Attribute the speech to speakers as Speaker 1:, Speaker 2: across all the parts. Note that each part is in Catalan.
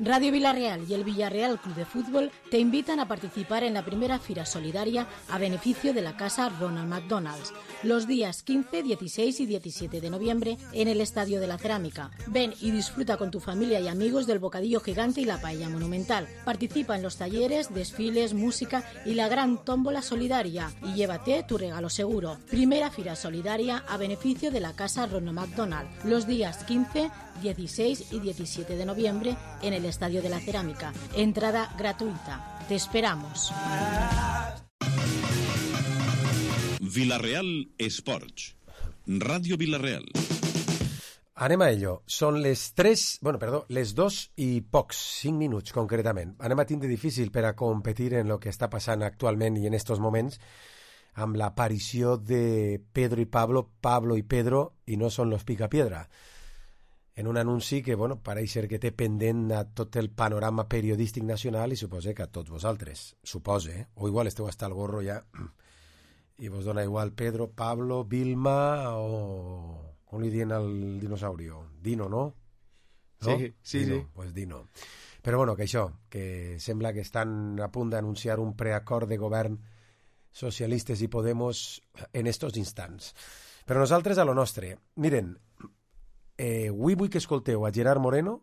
Speaker 1: Radio Villarreal y el Villarreal Club de Fútbol te invitan a participar en la primera Fira Solidaria a beneficio de la Casa Ronald McDonald's, los días 15, 16 y 17 de noviembre en el Estadio de la Cerámica. Ven y disfruta con tu familia y amigos del bocadillo gigante y la paella monumental. Participa en los talleres, desfiles, música y la gran tómbola solidaria y llévate tu regalo seguro. Primera Fira Solidaria a beneficio de la Casa Ronald McDonald, los días 15, 16 y 17 de noviembre en el Estadio de la Cerámica. Entrada gratuita. Te esperamos.
Speaker 2: Villarreal Esports. Ràdio Villarreal.
Speaker 3: Anem a ello. Són les 2 i pocs, 5 minuts concretament. Anem a tindre difícil per a competir en el que està passant actualment i en estos moments amb l'aparició de Pedro i Pablo, Pablo i Pedro, i no són los Picapiedra. En un anunci que, pareix ser que té pendent a tot el panorama periodístic nacional i suposa que a tots vosaltres. Suposa, o igual esteu hasta el gorro ja i vos dona igual Pedro, Pablo, Vilma o... com li diuen al dinosaurio? Dino, no?
Speaker 4: Sí.
Speaker 3: Dino, pues Dino. Però que això, que sembla que estan a punt d'anunciar un preacord de govern socialistes i Podemos en estos instants. Però nosaltres a lo nostre. Miren, avui vull que escolteu a Gerard Moreno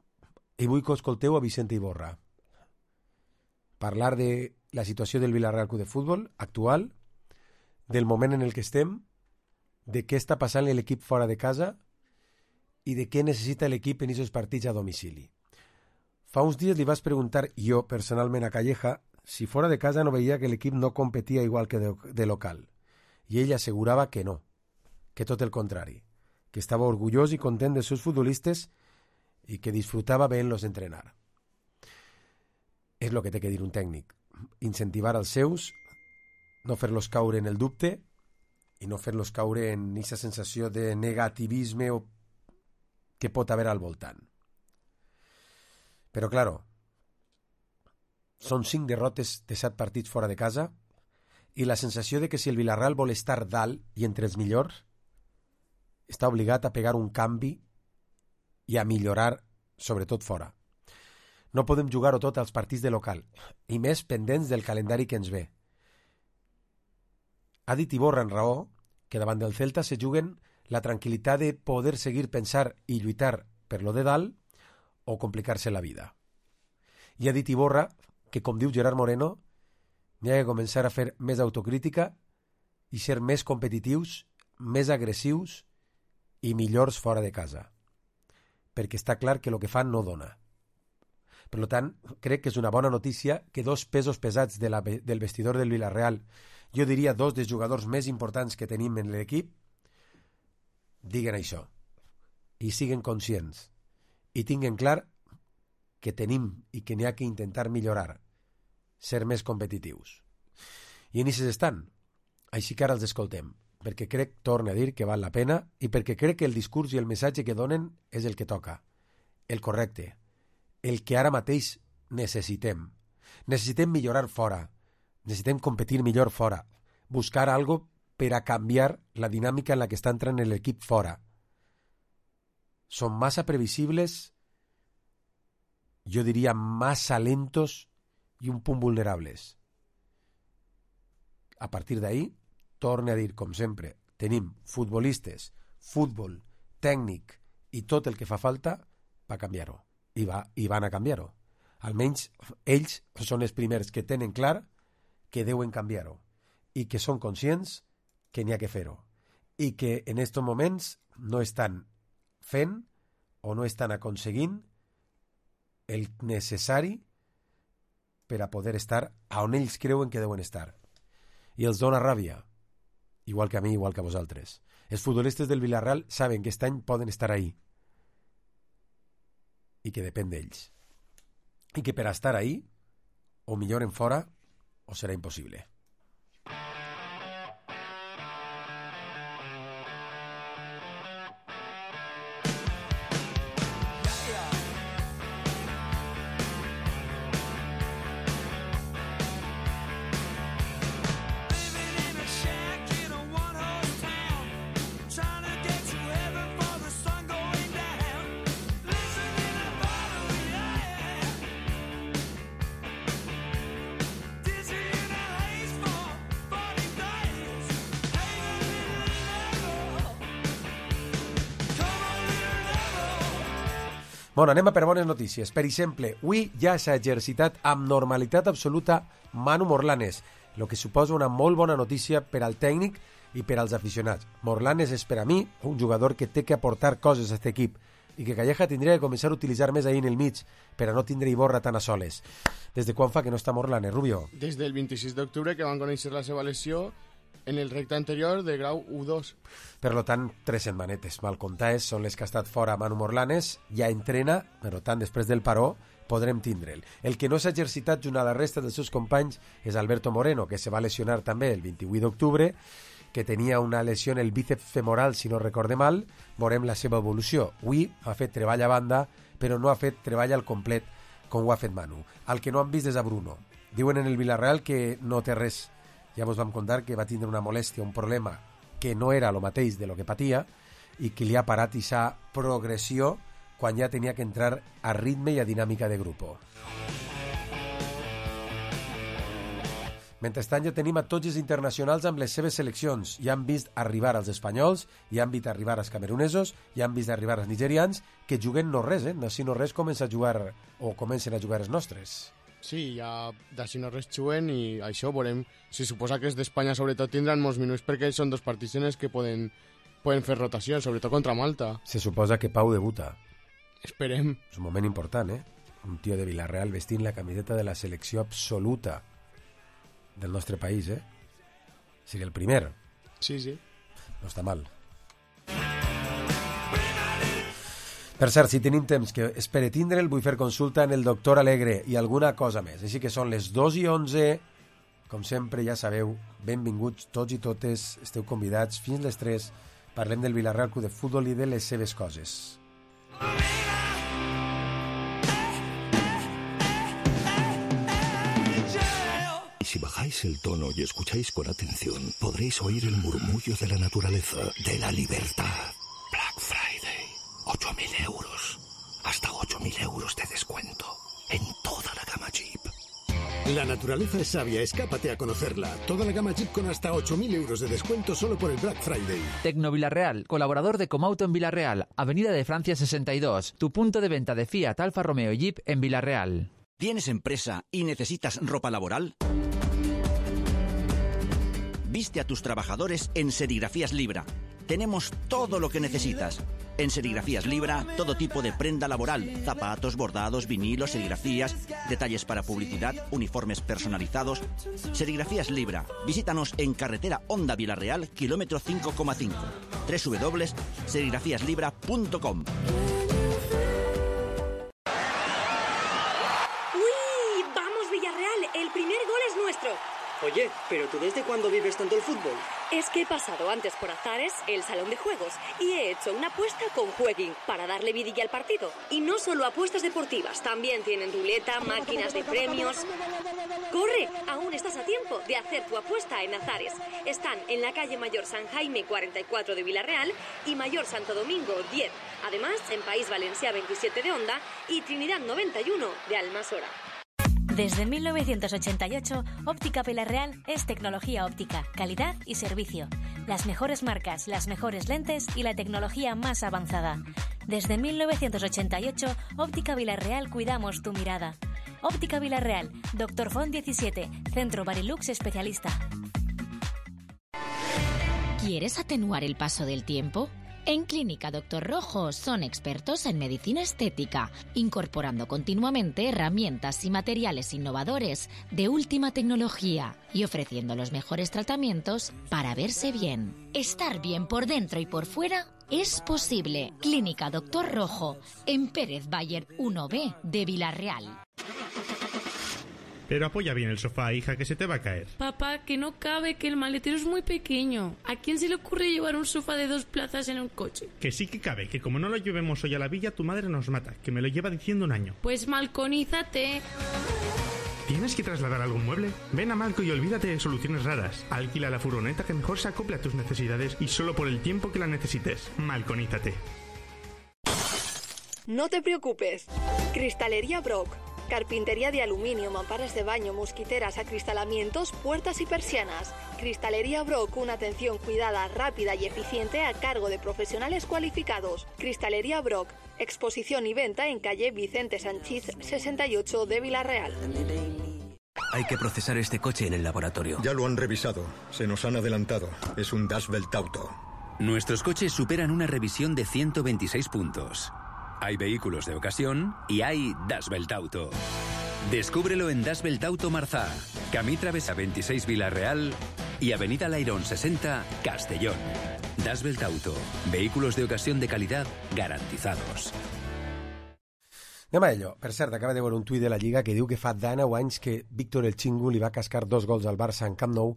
Speaker 3: i vull que escolteu a Vicente Iborra parlar de la situació del Villarreal Club de Futbol actual, del moment en el que estem, de què està passant l'equip fora de casa i de què necessita l'equip en aquests partits a domicili. Fa uns dies li vas preguntar jo personalment a Calleja si fora de casa no veia que l'equip no competia igual que de local, i ell assegurava que no, que tot el contrari, que estava orgullós i content dels seus futbolistes i que disfrutava veient-los entrenar. És el que té que dir un tècnic, incentivar els seus, no fer-los caure en el dubte i no fer-los caure en aquesta sensació de negativisme que pot haver al voltant. Però, claro, són 5 derrotes de 7 partits fora de casa i la sensació de que si el Villarreal vol estar dalt i entre els millors, està obligat a pegar un canvi i a millorar, sobretot fora. No podem jugar-ho tot als partits de local, i més pendents del calendari que ens ve. Ha dit Iborra en raó que davant del Celta se juguen la tranquil·litat de poder seguir pensar i lluitar per lo de dalt o complicar-se la vida. I ha dit Iborra que, com diu Gerard Moreno, n'hi ha que començar a fer més autocrítica i ser més competitius, més agressius i millors fora de casa, perquè està clar que el que fan no dona. Per tant, crec que és una bona notícia que 2 pesos pesats del vestidor del Villarreal, jo diria 2 dels jugadors més importants que tenim en l'equip, diguen això i siguen conscients i tinguen clar que tenim i que n'hi ha que intentar millorar, ser més competitius. I en aquests estan, així que ara els escoltem, perquè crec, torno a dir, que val la pena i perquè crec que el discurs i el missatge que donen és el que toca, el correcte, el que ara mateix necessitem. Necessitem millorar fora, necessitem competir millor fora, buscar algo per a canviar la dinàmica en la que està entrant l'equip fora. Són massa previsibles, jo diria massa lentos i un punt vulnerables. A partir d'ahí, torne a dir, com sempre, tenim futbolistes, futbol, tècnic i tot el que fa falta per canviar-ho. I van a canviar-ho. Almenys ells són els primers que tenen clar que deuen canviar-ho i que són conscients que n'hi ha que fer-ho i que en aquests moments no estan fent o no estan aconseguint el necessari per a poder estar on ells creuen que deuen estar. I els dona ràbia, igual que a mi, igual que a vosaltres. Els futbolistes del Villarreal saben que aquest any poden estar ahí i que depèn d'ells. I que per a estar ahí, o milloren fora, o serà impossible. Bueno, anem a per bones notícies. Per exemple, avui ja s'ha exercitat amb normalitat absoluta Manu Morlanes, el que suposa una molt bona notícia per al tècnic i per als aficionats. Morlanes és per a mi un jugador que té que aportar coses a aquest equip i que Calleja tindria que començar a utilitzar més ahir en el mig per a no tindre Iborra tan a soles. Des de quan fa que no està Morlanes, Rubio?
Speaker 4: Des del 26 d'octubre que van conèixer la seva lesió en el recte anterior de grau U2.
Speaker 3: Per tant, 3 setmanetes mal comptades són les que ha estat fora Manu Morlanes, ja entrena, per tant, després del paró podrem tindre'l. El que no s'ha exercitat junt a la resta dels seus companys és Alberto Moreno, que se va lesionar també el 28 d'octubre, que tenia una lesió en el bíceps femoral, si no recorde mal. Veurem la seva evolució. Avui ha fet treball a banda, però no ha fet treball al complet com ho ha fet Manu. El que no han vist és a Bruno. Diuen en el Villarreal que no té res. Ja vos vam contar que va tindre una molèstia, un problema que no era el mateix de lo que patia i que li ha parat aquesta progressió quan ja tenia que entrar a ritme i a dinàmica de grup. Mentrestant ja tenim a tots els internacionals amb les seves seleccions. Ja han vist arribar els espanyols, ja han vist arribar els camerunesos, ja han vist arribar els nigerians, que juguen no res, no si no res comencen a jugar els nostres.
Speaker 4: Sí, ja d'així no res juguen i això veurem. Si suposa que els d'Espanya sobretot tindran molts minuts perquè són dos partits en els que poden fer rotació, sobretot contra Malta.
Speaker 3: Se suposa que Pau debuta.
Speaker 4: Esperem.
Speaker 3: És un moment important, Un tio de Villarreal vestint la camiseta de la selecció absoluta del nostre país, Seria el primer.
Speaker 4: Sí.
Speaker 3: No està mal. Per cert, si tenim temps, que espere tindre'l, vull fer consulta en el doctor Alegre i alguna cosa més. Així que són les 2:11. Com sempre, ja sabeu, benvinguts tots i totes, esteu convidats fins les 3. Parlem del Villarreal Club de Futbol i de les seves coses.
Speaker 5: Si bajáis el tono y escucháis con atención, podréis oír el murmullo de la naturaleza, de la libertad. Black Friday. 8.000 euros. Hasta 8.000 euros de descuento. En toda la gama Jeep.
Speaker 6: La naturaleza es sabia, escápate a conocerla. Toda la gama Jeep con hasta 8.000 euros de descuento solo por el Black Friday.
Speaker 7: Tecno Villarreal, colaborador de Comauto en Villarreal, Avenida de Francia 62, tu punto de venta de Fiat, Alfa Romeo y Jeep en Villarreal.
Speaker 8: ¿Tienes empresa y necesitas ropa laboral? Viste a tus trabajadores en Serigrafías Libra. Tenemos todo lo que necesitas. En Serigrafías Libra, todo tipo de prenda laboral, zapatos, bordados, vinilos, serigrafías, detalles para publicidad, uniformes personalizados. Serigrafías Libra. Visítanos en carretera Honda Villarreal, kilómetro 5,5. www.serigrafíaslibra.com.
Speaker 9: ¡Uy! ¡Vamos, Villarreal! El primer gol es nuestro.
Speaker 10: Oye, ¿pero tú desde cuándo vives tanto el fútbol?
Speaker 9: Es que he pasado antes por Azares, el salón de juegos, y he hecho una apuesta con Jueguin para darle vidilla al partido. Y no solo apuestas deportivas, también tienen ruleta, máquinas de premios. ¡Corre! Aún estás a tiempo de hacer tu apuesta en Azares. Están en la calle Mayor San Jaime 44 de Villarreal y Mayor Santo Domingo 10. Además, en País Valencià 27 de Onda y Trinidad 91 de Almasora.
Speaker 11: Desde 1988, Óptica Villarreal es tecnología óptica, calidad y servicio. Las mejores marcas, las mejores lentes y la tecnología más avanzada. Desde 1988, Óptica Villarreal cuidamos tu mirada. Óptica Villarreal, Dr. Font 17, Centro Barilux Especialista.
Speaker 1: ¿Quieres atenuar el paso del tiempo? En Clínica Dr. Rojo son expertos en medicina estética, incorporando continuamente herramientas y materiales innovadores de última tecnología y ofreciendo los mejores tratamientos para verse bien. Estar bien por dentro y por fuera es posible. Clínica Dr. Rojo, en Pérez Bayer 1B de Villarreal.
Speaker 12: Pero apoya bien el sofá, hija, que se te va a caer.
Speaker 13: Papá, que no cabe, que el maletero es muy pequeño. ¿A quién se le ocurre llevar un sofá de 2 plazas en un coche?
Speaker 12: Que sí que cabe, que como no lo llevemos hoy a la villa, tu madre nos mata, que me lo lleva diciendo un año.
Speaker 13: Pues malconízate.
Speaker 12: ¿Tienes que trasladar algún mueble? Ven a Malco y olvídate de soluciones raras. Alquila la furgoneta que mejor se acople a tus necesidades y solo por el tiempo que la necesites. Malconízate.
Speaker 9: No te preocupes. Cristalería Brock.
Speaker 14: Carpintería de aluminio, mamparas de baño, mosquiteras, acristalamientos, puertas y persianas. Cristalería Brock, una atención cuidada, rápida y eficiente a cargo de profesionales cualificados. Cristalería Brock, exposición y venta en calle Vicente Sanchís 68 de Villarreal.
Speaker 15: Hay que procesar este coche en el laboratorio.
Speaker 16: Ya lo han revisado. Se nos han adelantado. Es un Das Welt Auto.
Speaker 15: Nuestros coches superan una revisión de 126 puntos. Hay vehículos de ocasión y hay Das Welt Auto. Descúbrelo en Das Welt Auto Marzá, Camí Travesa 26 Villarreal y Avenida Lairón 60 Castellón. Das Welt Auto. Vehículos de ocasión de calidad garantizados.
Speaker 3: Anem a ello. Per cert, acaba de veure un tuit de la Lliga que diu que fa 19 anys que Víctor El Chingu li va cascar 2 gols al Barça en Camp Nou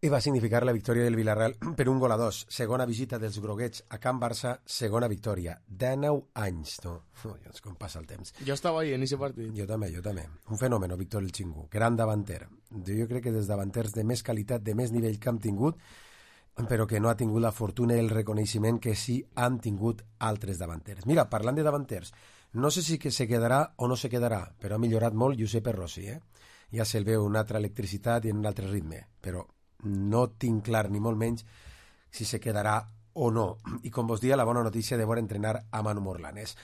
Speaker 3: i va significar la victòria del Villarreal per 1-2. Segona visita dels groguets a Camp Barça, segona victòria. 19 anys, no? Com passa el temps.
Speaker 4: Jo estava ahí en ese partit.
Speaker 3: Jo també. Un fenomen, Víctor El Chingu. Gran davanter. Jo crec que dels davanters de més qualitat, de més nivell que han tingut, però que no ha tingut la fortuna i el reconeixement que sí han tingut altres davanters. Mira, parlant de davanters, no sé si que se quedarà o no se quedarà, però ha millorat molt Giuseppe Rossi, Ja se'l veu una altra electricitat i un altre ritme, però no tinc clar ni molt menys si se quedarà o no. I com vos dia, la bona notícia de veure entrenar a Manu Morlanes.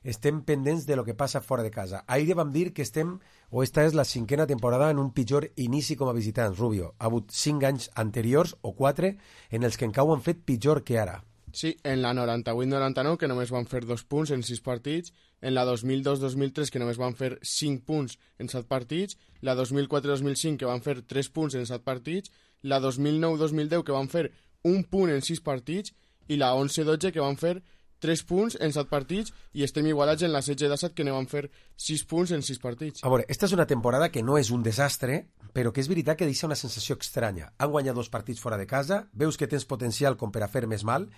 Speaker 3: Estem pendents de lo que passa fora de casa. Ahir vam dir que esta és la 5ª temporada en un pitjor inici com a visitants, Rubio. Ha hagut 5 anys anteriors, o 4, en els que en Cau han fet pitjor que ara.
Speaker 4: Sí, en la 98-99, que només van fer 2 punts en 6 partits, en la 2002-2003, que només van fer 5 punts en 7 partits, la 2004-2005, que van fer 3 punts en 7 partits, la 2009-2010, que van fer 1 punt en 6 partits, i la 11-12, que van fer 3 punts en 7 partits, i estem igualats en la 16-17, que ne van fer 6 punts en 6 partits.
Speaker 3: A veure, esta és una temporada que no és un desastre, però que és veritat que deixa una sensació estranya. Han guanyat 2 partits fora de casa, veus que tens potencial com per a fer més mal.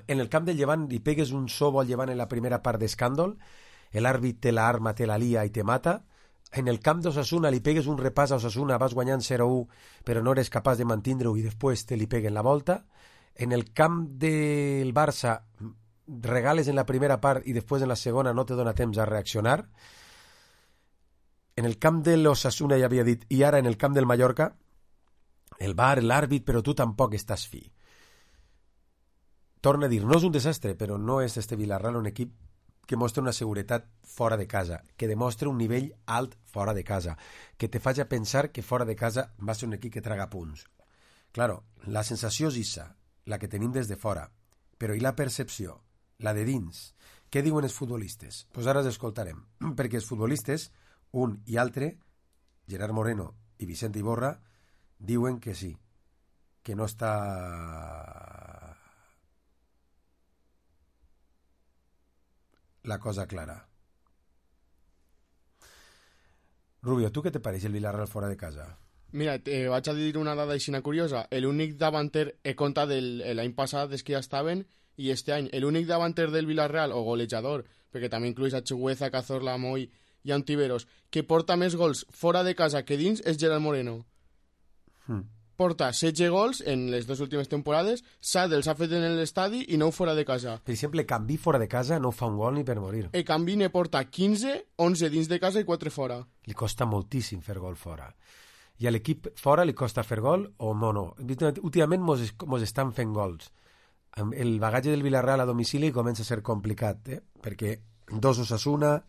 Speaker 3: En el camp del Llevant li pegues un sobo al Llevant en la primera part d'escàndol, l'àrbit te la arma, te la lia i te mata. En el camp d'Osasuna li pegues un repàs a Osasuna, vas guanyant 0-1, però no eres capaç de mantindre-ho i després te li peguen la volta. En el camp del Barça regales en la primera part i després en la segona no te dona temps a reaccionar. En el camp de l'Osasuna ja havia dit, i ara en el camp del Mallorca, el VAR, l'àrbit, però tu tampoc estàs fi. Torna a dir, no és un desastre, però no és este Villarreal un equip que mostra una seguretat fora de casa, que demostra un nivell alt fora de casa, que te faci pensar que fora de casa va ser un equip que traga punts. Claro, la sensació és issa, la que tenim des de fora, però i la percepció, la de dins? Què diuen els futbolistes? Doncs ara els escoltarem, perquè els futbolistes, un i altre, Gerard Moreno i Vicente Iborra, diuen que sí, que no està la cosa clara. Rubio, ¿tú qué te parece el Villarreal fora de casa?
Speaker 4: Mira, vaig a dir una dada així curiosa. L'únic davanter, compta l'any passat, és que ja estaven, i este any, l'únic davanter del Villarreal, o golejador, perquè també incluís a Chugueza, Cazorla, Moy i Antiveros, que porta més gols fora de casa que dins, és Gerard Moreno. Porta 16 gols en les 2 últimes temporades, 7 els ha fet en l'estadi i 9 fora de casa.
Speaker 3: Per exemple, Canvi fora de casa no fa un gol ni per morir.
Speaker 4: Canvi ne porta 15, 11 dins de casa i 4 fora.
Speaker 3: Li costa moltíssim fer gol fora. I a l'equip fora li costa fer gol o no? Últimament mos estan fent gols. El bagatge del Villarreal a domicili comença a ser complicat, perquè 2 Osasuna,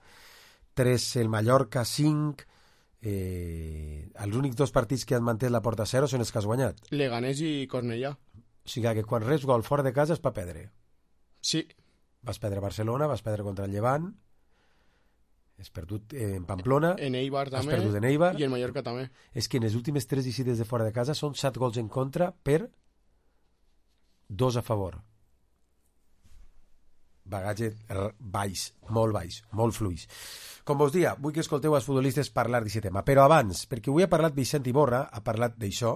Speaker 3: 3 el Mallorca, 5... els únics 2 partits que han mantès la porta a 0 són els que has guanyat.
Speaker 4: Leganés i Cornellà.
Speaker 3: O sigui que quan reps gol fora de casa és per perdre.
Speaker 4: Sí.
Speaker 3: Vas perdre a Barcelona, vas perdre contra el Llevant, has perdut en Pamplona,
Speaker 4: en Eibar també,
Speaker 3: has perdut en Eibar,
Speaker 4: i en Mallorca també.
Speaker 3: És que en les últimes 3 visites de fora de casa són 7 gols en contra per 2 a favor. Bagatge baix, molt fluix. Com vos dia, vull que escolteu els futbolistes parlar d'aquest tema, però abans, perquè avui ha parlat Vicent Iborra, ha parlat d'això,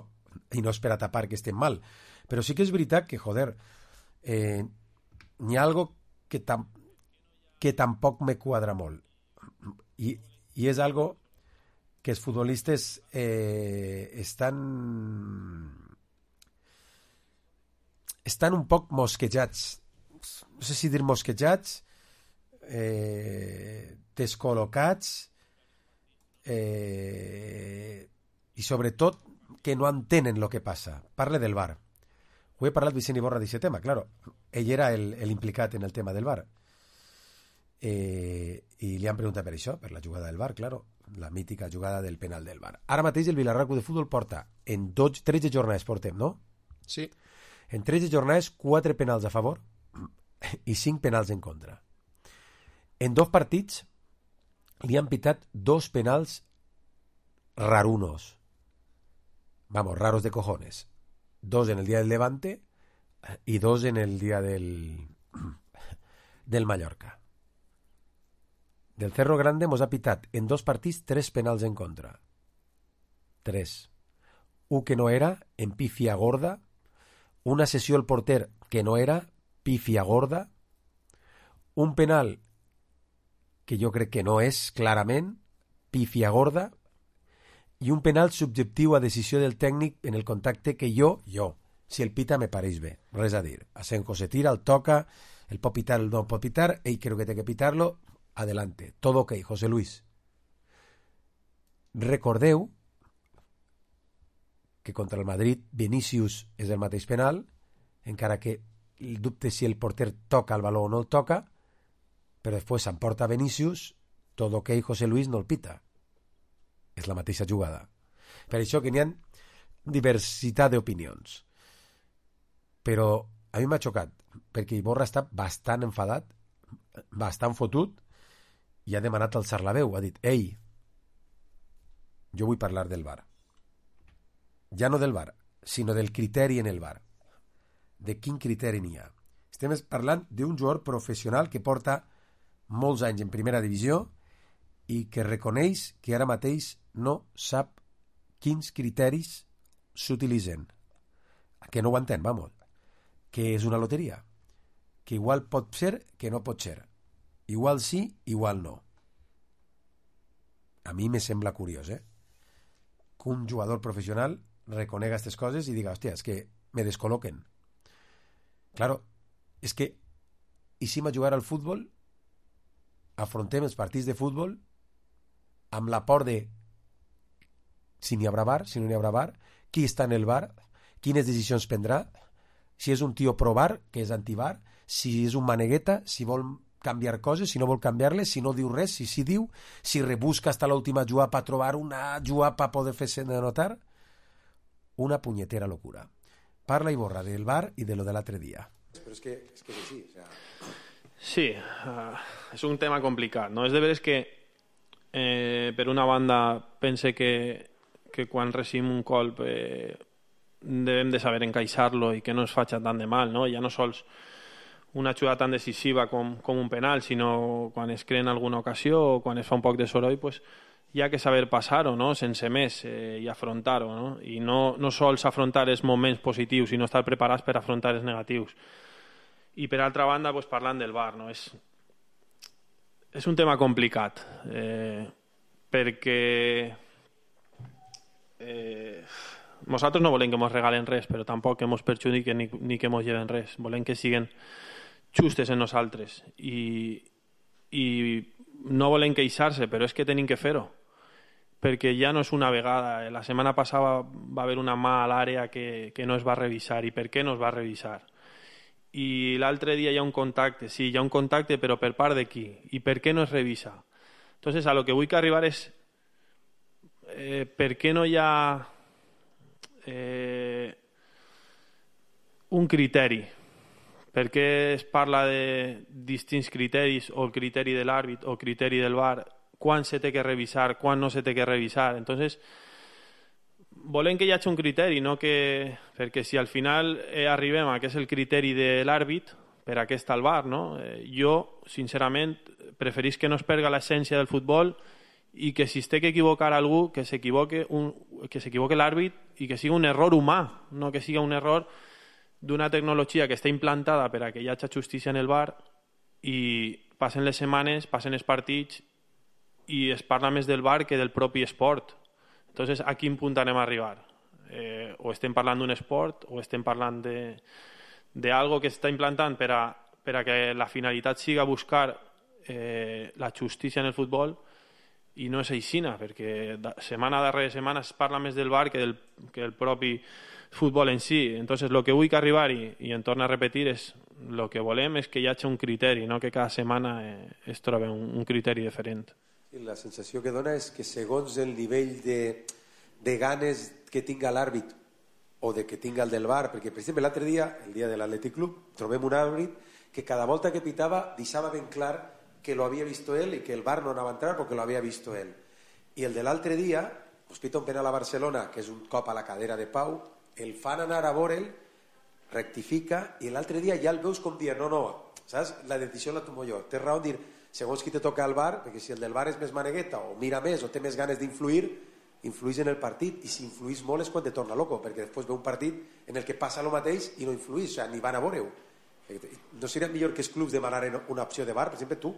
Speaker 3: i no és per a tapar que estem mal, però sí que és veritat que, joder, n'hi ha algo que tampoc me quadra molt, i és algo que els futbolistes estan un poc mosquejats, no sé si dir mosquejats, descol·locats, i sobretot que no entenen el que passa. Parle del VAR. Ho he parlat Vicent Iborra d'aquest tema, claro. Ell era l'implicat en el tema del VAR. I li han preguntat per això, per la jugada del VAR, claro, la mítica jugada del penal del VAR. Ara mateix el Villarreal Club de Futbol porta en 13 jornades, portem, no?
Speaker 4: Sí.
Speaker 3: En 13 jornades, 4 penals a favor i 5 penals en contra. En 2 partits li han pitat 2 penals rarunos. Vamos, raros de cojones. 2 en el día del Levante y 2 en el día del Mallorca. Del Cerro Grande mos ha pitat en 2 partits 3 penals en contra. 3. Un que no era, en pífia gorda. Una sessió al porter que no era, pífia gorda. Un penal que jo crec que no és, clarament, pífia gorda. I un penal subjectiu a decisió del tècnic en el contacte que jo, si el pita me pareix bé, res a dir. Asenjo se tira, el toca, el pot pitar, el no pot pitar, ell creo que té que pitar-lo, adelante, todo ok, José Luis. Recordeu que contra el Madrid Vinícius és el mateix penal, encara que el dubte si el porter toca el baló o no el toca, però després s'emporta Vinícius, todo ok, José Luis no el pita. És la mateixa jugada. Per això que n'hi ha diversitat d'opinions. Però a mi m'ha xocat, perquè Iborra està bastant enfadat, bastant fotut, i ha demanat alçar la veu. Ha dit, ei, jo vull parlar del VAR. Ja no del VAR, sinó del criteri en el VAR. De quin criteri n'hi ha. Estem parlant d'un jugador professional que porta molts anys en primera divisió i que reconeix que ara mateix no sap quins criteris s'utilitzen. Que no ho entén, vamos. Que és una loteria. Que igual pot ser, que no pot ser. Igual sí, igual no. A mi me sembla curiós, que un jugador professional reconega aquestes coses i diga, hòstia, és que me descol·loquen. Claro, és que i si a jugar al futbol, afrontem els partits de futbol amb la por de si n'hi haurà VAR, si no n'hi haurà VAR, qui està en el VAR, quines decisions prendrà, si és un tio pro VAR, que és anti-VAR, si és un manegueta, si vol canviar coses, si no vol canviar-les, si no diu res, si sí diu, si rebusca hasta l'última jugada per trobar una jugada per poder fer-se notar. Una punyetera locura. Parla Iborra del VAR i de lo de l'altre dia.
Speaker 17: Però és que és així. O sea... Sí, és un tema complicat, no? És de veres que per una banda pense que quan recibim un colp devem de saber encaixar-lo i que no ens faci tant de mal, no? Ja no sols una jugada tan decisiva com un penal, sinó quan es crea en alguna ocasió o quan es fa un poc de soroll, pues, hi ha que saber passar-ho, no? Sense més, i afrontar-ho, no? I no sols afrontar els moments positius, sinó estar preparats per afrontar els negatius. I per altra banda, pues, parlant del VAR, no? És un tema complicat, perquè nosaltres no volem que ens regalen res, però tampoc que ens perjudiquen ni que ens lleven res. Volem que siguin justes en nosaltres i no volem queixar-se, però és que tenim que fer-ho, perquè ja no és una vegada. La setmana passada va haver una mà a l'àrea que no es va revisar. I per què no es va revisar? I l'altre dia hi ha un contacte. Sí, hi ha un contacte, però per part de qui? I per què no es revisa? Entonces, a lo que vull que arribar és per què no hi ha un criteri? Per què es parla de distints criteris, o el criteri de l'àrbit o el criteri del VAR? Quan se té que revisar, quan no se té que revisar? Entonces, volem que hi hagi un criteri, no que... perquè si al final arribem a que és el criteri de l'àrbit, per a què està el VAR, no? Jo, sincerament, preferís que no es perga l'essència del futbol i que si es té que equivocar algú, que s'equivoque l'àrbit i que sigui un error humà, no que sigui un error d'una tecnologia que està implantada per a que hi hagi justícia en el VAR i passen les setmanes, passen els partits i es parla més del VAR que del propi esport. Entonces, a quin punt anem a arribar? O estem parlant d'un esport o estem parlant d'algo que està implantant per a que la finalitat siga buscar la justícia en el futbol i no és aixina, perquè setmana darrere setmana es parla més del VAR que el propi futbol en si. Entonces, el que vull que arribar-hi, i en torno a repetir, és el que volem és que hi hagi un criteri, no que cada setmana es trobi un criteri diferent.
Speaker 3: I la sensació que dona és que segons el nivell de ganes que tinga l'àrbit o de que tinga el del VAR, perquè per exemple l'altre dia, el dia de l'Atlètic Club, trobem un àrbit que cada volta que pitava deixava ben clar que lo havia visto él y que el VAR no anava a entrar porque lo había visto él. I el de l'altre dia, pues pita un penal a Barcelona, que és un cop a la cadera de Pau, el fan anar a veure'l, rectifica, i l'altre dia ja el veus com dir, no, saps? La decisió la tomo jo. Té raó en dir, segons qui te toca el VAR, perquè si el del VAR és més manegueta, o mira més, o té més ganes d'influir, influís en el partit, i si influís molt és quan te torna loco, perquè després ve un partit en el que passa el mateix i no influís, o sigui, ni van a veure-ho. No seria millor que els clubs demanaren una opció de VAR? Per exemple, tu,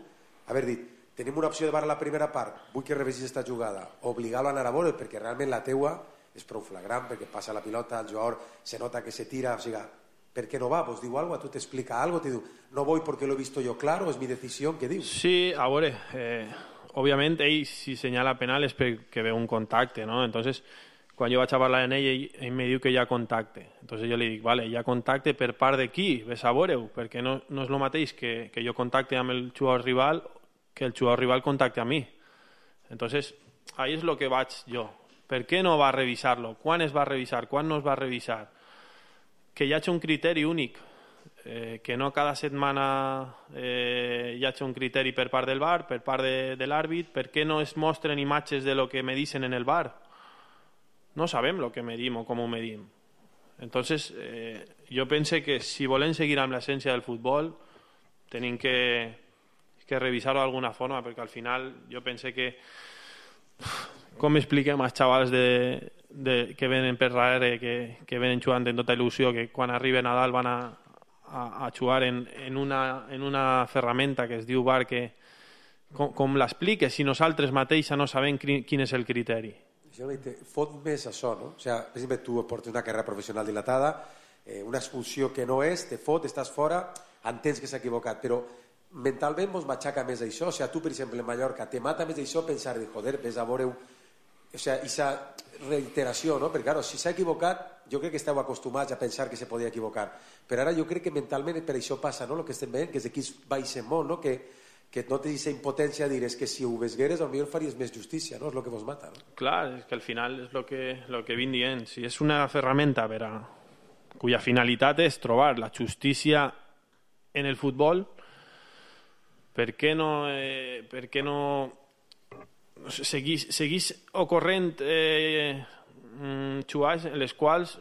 Speaker 3: haver dit, tenim una opció de VAR a la primera part, vull que revisis esta jugada, obligar-lo a anar a veure'l, perquè realment la teua és prou flagrant, perquè passa la pilota, el jugador se nota que se tira, o sigui, ¿per qué no va? Pues digo algo, tú te explica algo, te digo, no voy porque lo he visto yo claro, es mi decisión, ¿qué digo?
Speaker 17: Sí, a veure, òbviament ell si senyala penal és perquè veu un contacte, no? Entonces, quan jo vaig a parlar amb ell me diu que hi ha contacte. Entonces jo li dic, vale, hi ha contacte per part de qui? Ves a veure-ho, perquè no és el mateix que jo contacte amb el jugador rival que el jugador rival contacte a mi. Entonces, ahí és el que vaig jo. Per què no va revisar-lo? Quan es va revisar? Quan no es va revisar? Que hi hagi un criteri únic, que no cada setmana hi hagi un criteri per part del VAR, per part de l'àrbit. Per què no es mostren imatges de lo que me dicen en el VAR? No sabem lo que medim o com ho medim. Entonces, jo pense que si volem seguir amb l'essència del futbol, tenim que revisar-ho d'alguna forma, perquè al final jo pense que com expliquem als xavals que venen per darrere, que venen jugant en tota il·lusió, que quan arriben a dalt van a jugar en una ferramenta que es diu VAR, que com l'expliques si nosaltres mateixa no sabem quin és el criteri.
Speaker 3: Fot més això, no? O sigui, per exemple, tu portes una carrera professional dilatada, una expulsió que no és, te fot, estàs fora, entens que s'ha equivocat, però mentalment mos matxaca més això. O sigui, tu, per exemple, en Mallorca, te mata més això pensar, joder, ves a veure-ho. O sigui, aquesta reiteració, no? Perquè, claro, si s'ha equivocat, jo crec que esteu acostumats a pensar que se podia equivocar. Però ara jo crec que mentalment per això passa, no? El que estem veient, que és d'aquí baixem molt, no? Que no té aquesta impotència de dir, és que si ho vesgueres potser faries més justícia, no? És el que vos mata, no?
Speaker 17: Clar, és que al final és el que vinc dient. Si és una ferramenta cuya finalitat és trobar la justícia en el futbol, per què no seguís ocorrent jugades en les quals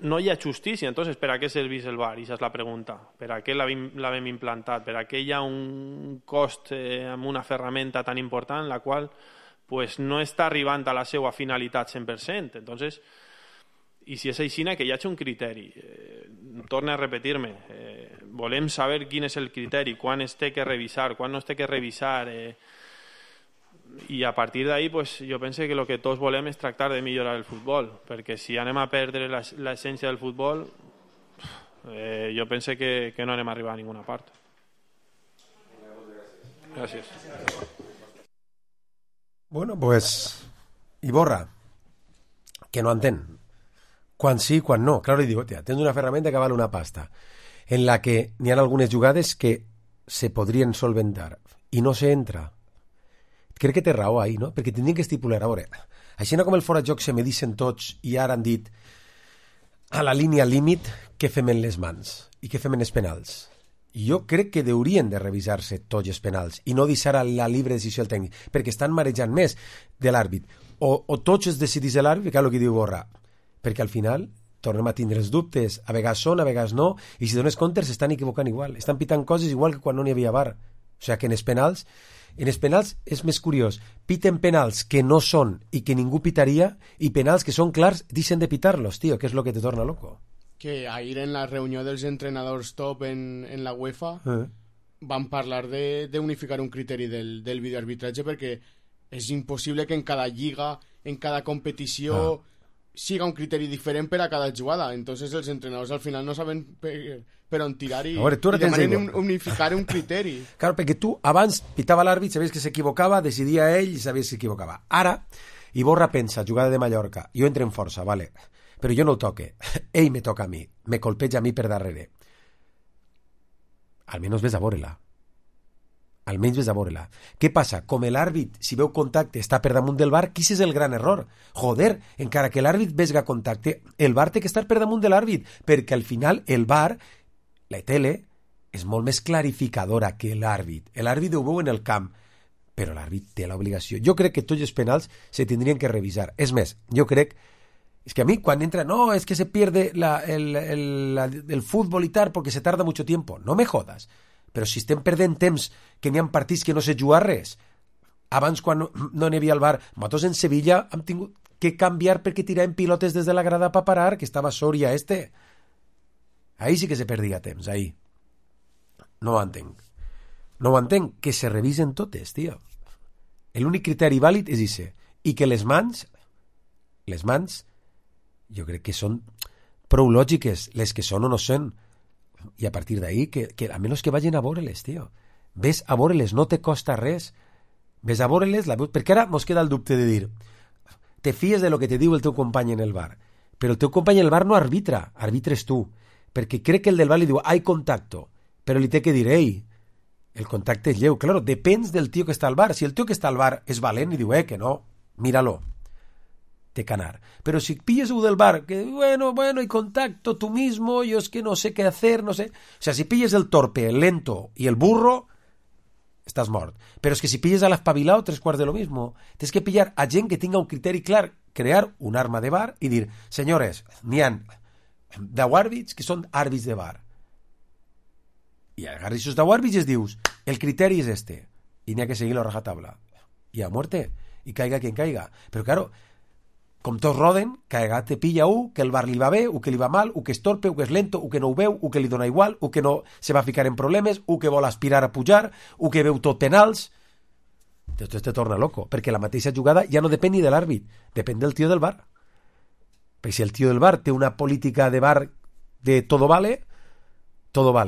Speaker 17: no hi ha justícia? Entonces, per a què serveix el VAR? Aquesta és la pregunta. Per a què l'havem implantat? Per a què hi ha un cost amb una ferramenta tan important la qual pues, no està arribant a la seva finalitat 100%? Entonces, i si és així, que hi hagi un criteri. Torno a repetir-me. Volem saber quin és el criteri, quan es té que revisar, quan no es té que revisar. I a partir d'ahí pues, jo penso que el que tots volem és tractar de millorar el futbol, perquè si anem a perdre l'essència del futbol, jo penso que no anem a arribar a ninguna part. Gràcies.
Speaker 3: Bueno, pues Iborra, que no entén. Quan sí, quan no. Claro, li digo, tens una ferramenta que vale una pasta, en la que n'hi ha algunes jugades que se podrien solventar i no se entra. Crec que té raó ahí, no? Perquè tindrien que estipular, a veure, així com el fora de joc se medicen tots i ara han dit a la línia límit què fem en les mans i què fem en els penals. Jo crec que haurien de revisar-se tots els penals i no deixar a la libre decisió el tècnic, perquè estan marejant més de l'àrbit. O tots es decidís l'àrbit, que és el que diu Borra, perquè al final tornem a tindre els dubtes, a vegades són, a vegades no, i si dones compte s'estan equivocant igual, estan pitant coses igual que quan no n'hi havia VAR. O sigui que en els penals és més curiós, piten penals que no són i que ningú pitaria, i penals que són clars deixen de pitar-los, tio, que és el que te torna loco.
Speaker 4: Que ahir en la reunió dels entrenadors top en la UEFA van parlar d'unificar un criteri del videoarbitratge, perquè és impossible que en cada lliga, en cada competició siga un criteri diferent per a cada jugada. Entonces els entrenadors al final no saben per on tirar i demanen unificar un criteri.
Speaker 3: Claro, perquè tu abans pitava l'àrbit, sabies que s'equivocava, decidia ell i sabies que s'equivocava. Ara, Iborra pensa, jugada de Mallorca, jo entro en força, vale, però jo no el toque, ell me toca a mi, me colpeja a mi per darrere. Almenys ves a veure-la. Almenys ves a veure-la. Què passa? Com l'àrbit, si veu contacte, està per damunt del VAR, quin és el gran error? Joder, encara que l'àrbit vesga contacte, el VAR té que estar per damunt de l'àrbit, perquè al final el VAR, la tele, és molt més clarificadora que l'àrbit. L'àrbit ho veu en el camp, però l'àrbit té l'obligació. Jo crec que tots els penals se tindrien que revisar. És més, jo crec... És que a mí cuando entra, no, es que se pierde el fútbol y tal porque se tarda mucho tiempo. No me jodas. Però si estem perdent temps que n'hi ha partits que no sé jugar res. Abans, quan no n'hi havia el VAR, nosaltres en Sevilla hem tingut que canviar perquè tiràvem pilotes des de la grada per parar, que estava Soria Ahí sí que se perdia temps, ahí. No ho entenc. No ho entenc, que se revisen totes, tio. L'únic criteri vàlid és ese. I que les mans, jo crec que són prou lògiques, les que són o no són. I a partir d'ahí, que a menys que vagin a veure-les, tio. Ves a veure-les, no te costa res. Ves a veure-les, perquè ara mos queda el dubte de dir te fies de lo que te diu el teu company en el bar, però el teu company en el bar no arbitra, arbitres tu, perquè crec que el del bar li diu hay contacto, però li té que dir ei, el contacte és lleu. Claro, depèn del tio que està al bar. Si el tio que està al bar és valent i diu que no, míralo, té que anar. Però si pilles un del bar que, bueno, hay contacto, tú mismo, yo es que no sé qué hacer, no sé... O sea, si pilles el torpe, el lento y el burro, estàs mort. Però és que si pilles a l'espavilao, 3/4 de lo mismo. Tens que pillar a gent que tinga un criteri clar, crear un arma de bar i dir, senyores, n'hi ha 10 àrbits que són àrbits de bar. I agarris esos 10 àrbits i es dius, el criteri és este, i n'hi ha que seguir la rajatabla. I a muerte, i caiga quien caiga. Però, claro, com tots roden, que te pilla que el bar li va bé, que li va mal, que és torpe, que és lento, que no ho veu, que li dona igual, que no se va ficar en problemes, que vol aspirar a pujar, que veu tot penals. Tot te torna loco, perquè la mateixa jugada ja no depèn ni de l'àrbit, depèn del tio del bar. Perquè si el tio del bar té una política de bar de todo vale,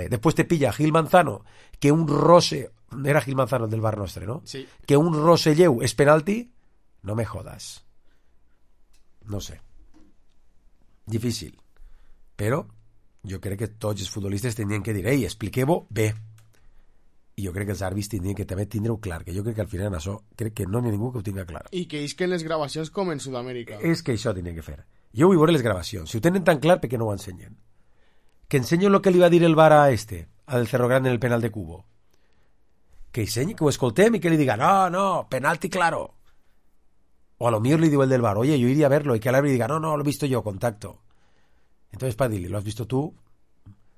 Speaker 3: Después te pilla Gil Manzano, que un roce... Era Gil Manzano el del bar nostre, no?
Speaker 4: Sí.
Speaker 3: Que un roce lleu és penalti, no me jodas. No sé. Difícil. Però jo crec que tots els futbolistes tenien que dir expliqueu-ho bé. I jo crec que els àrbits tindrien que també tindre-ho clar, que jo crec que al final en això crec que no hi ha ningú que ho tinga clar.
Speaker 4: I que isquen les gravacions com en Sud-amèrica.
Speaker 3: És que això tenia que fer. Jo vull veure les gravacions. Si ho tenen tan clar, per què no ho ensenyen? Que ensenyo el que li va dir el VAR a al Cerro Grande en el penal de Cubo. Que ensenyi, que ho escoltem i que li diga no, penalti claro. O a lo mejor le digo el del bar, oye, yo iría a verlo, y que al árbitro diga, no, lo he visto yo, contacto. Entonces, para decirle, lo has visto tú,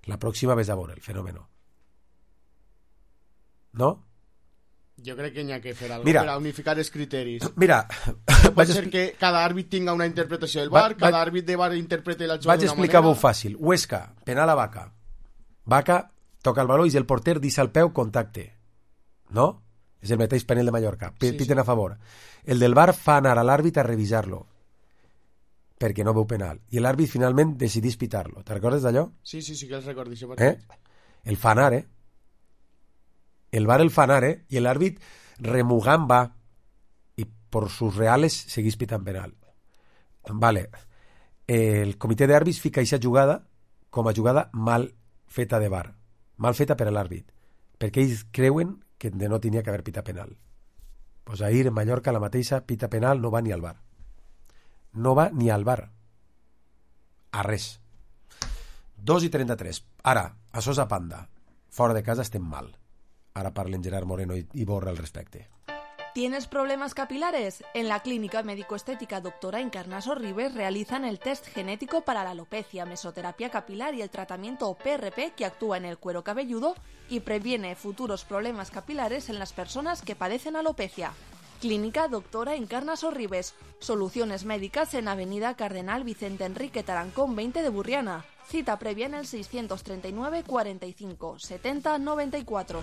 Speaker 3: la próxima ves a ver el fenómeno. ¿No?
Speaker 4: Jo crec que n'hi ha que fer alguna
Speaker 3: cosa
Speaker 4: per a unificar els criteris.
Speaker 3: Mira,
Speaker 4: pot ser que cada àrbit tinga una interpretació del VAR, cada àrbit de VAR interprete la jugada d'una manera.
Speaker 3: Vaig explicar-ho fàcil. Huesca, penal a Vaca. Vaca toca el baló i el porter deixa el peu, contacte. No? És el mateix penal de Mallorca. Piten a favor. El del VAR fa anar a l'àrbit a revisar-lo perquè no veu penal. I l'àrbit finalment decidís pitar-lo. Te recordes d'allò?
Speaker 4: Sí, que els recordi.
Speaker 3: El fa anar, El VAR el fa anar, i l'àrbit remugant va i per sus reales seguís pitant penal. Vale. El comitè d'àrbits fica aquesta jugada com a jugada mal feta de VAR. Mal feta per a l'àrbit. Perquè ells creuen que no tenia que haver pitat penal. Pues ahir en Mallorca la mateixa pita penal no va ni al VAR. No va ni al VAR. A res. 2:33. Ara, a Sosa Panda. Fora de casa estem mal. Ahora parlen Gerard Moreno y Borra al respecto.
Speaker 14: ¿Tienes problemas capilares? En la clínica médico-estética Doctora Encarnaso Ribes realizan el test genético para la alopecia, mesoterapia capilar y el tratamiento PRP que actúa en el cuero cabelludo y previene futuros problemas capilares en las personas que padecen alopecia. Clínica Doctora Encarnaso Ribes. Soluciones médicas en Avenida Cardenal Vicente Enrique Tarancón 20 de Burriana. Cita previa en el 639 45 70 94.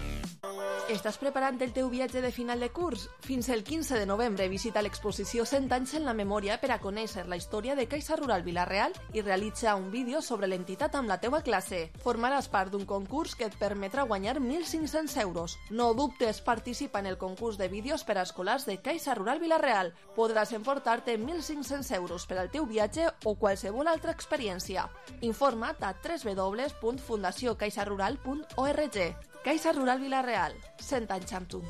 Speaker 14: Estàs preparant el teu viatge de final de curs? Fins el 15 de novembre visita l'exposició 100 anys en la memòria per a conèixer la història de Caixa Rural Vila-real i realitza un vídeo sobre l'entitat amb la teua classe. Formaràs part d'un concurs que et permetrà guanyar 1.500 euros. No dubtes, participa en el concurs de vídeos per a escolars de Caixa Rural Vila-real. Podràs emportar-te 1.500 euros per al teu viatge o qualsevol altra experiència. Informa't a www.fundaciocaixarural.org. Caixa Rural Vila-real, 100 anys amb tu.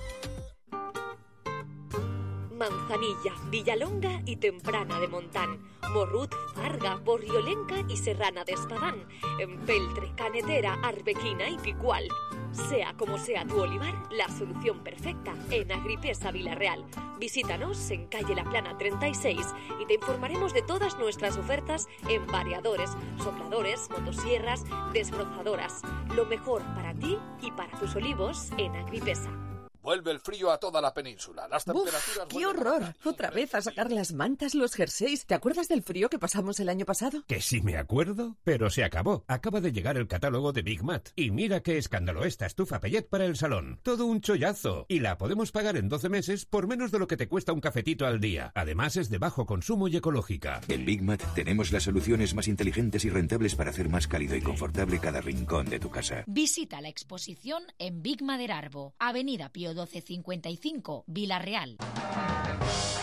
Speaker 9: Manzanilla, Villalonga y Temprana de Montán, Morrut, Farga, Borriolenca y Serrana de Espadán, Empeltre, Canetera, Arbequina y Picual. Sea como sea tu olivar, la solución perfecta en Agripesa Vila-real. Visítanos en calle La Plana 36 y te informaremos de todas nuestras ofertas en variadores, sopladores, motosierras, desbrozadoras. Lo mejor para ti y para tus olivos en Agripesa.
Speaker 18: Vuelve el frío a toda la península. Las temperaturas...
Speaker 19: ¡Uf! ¡Qué horror! Otra vez a sacar las mantas, los jerseys. ¿Te acuerdas del frío que pasamos el año pasado?
Speaker 20: Que sí me acuerdo, pero se acabó. Acaba de llegar el catálogo de Big Mat. Y mira qué escándalo esta estufa Pellet para el salón. Todo un chollazo. Y la podemos pagar en 12 meses por menos de lo que te cuesta un cafetito al día. Además es de bajo consumo y ecológica.
Speaker 21: En Big Mat tenemos las soluciones más inteligentes y rentables para hacer más cálido y confortable cada rincón de tu casa.
Speaker 22: Visita la exposición en Big Maderarbo, Avenida Pío 1255, Vila-real.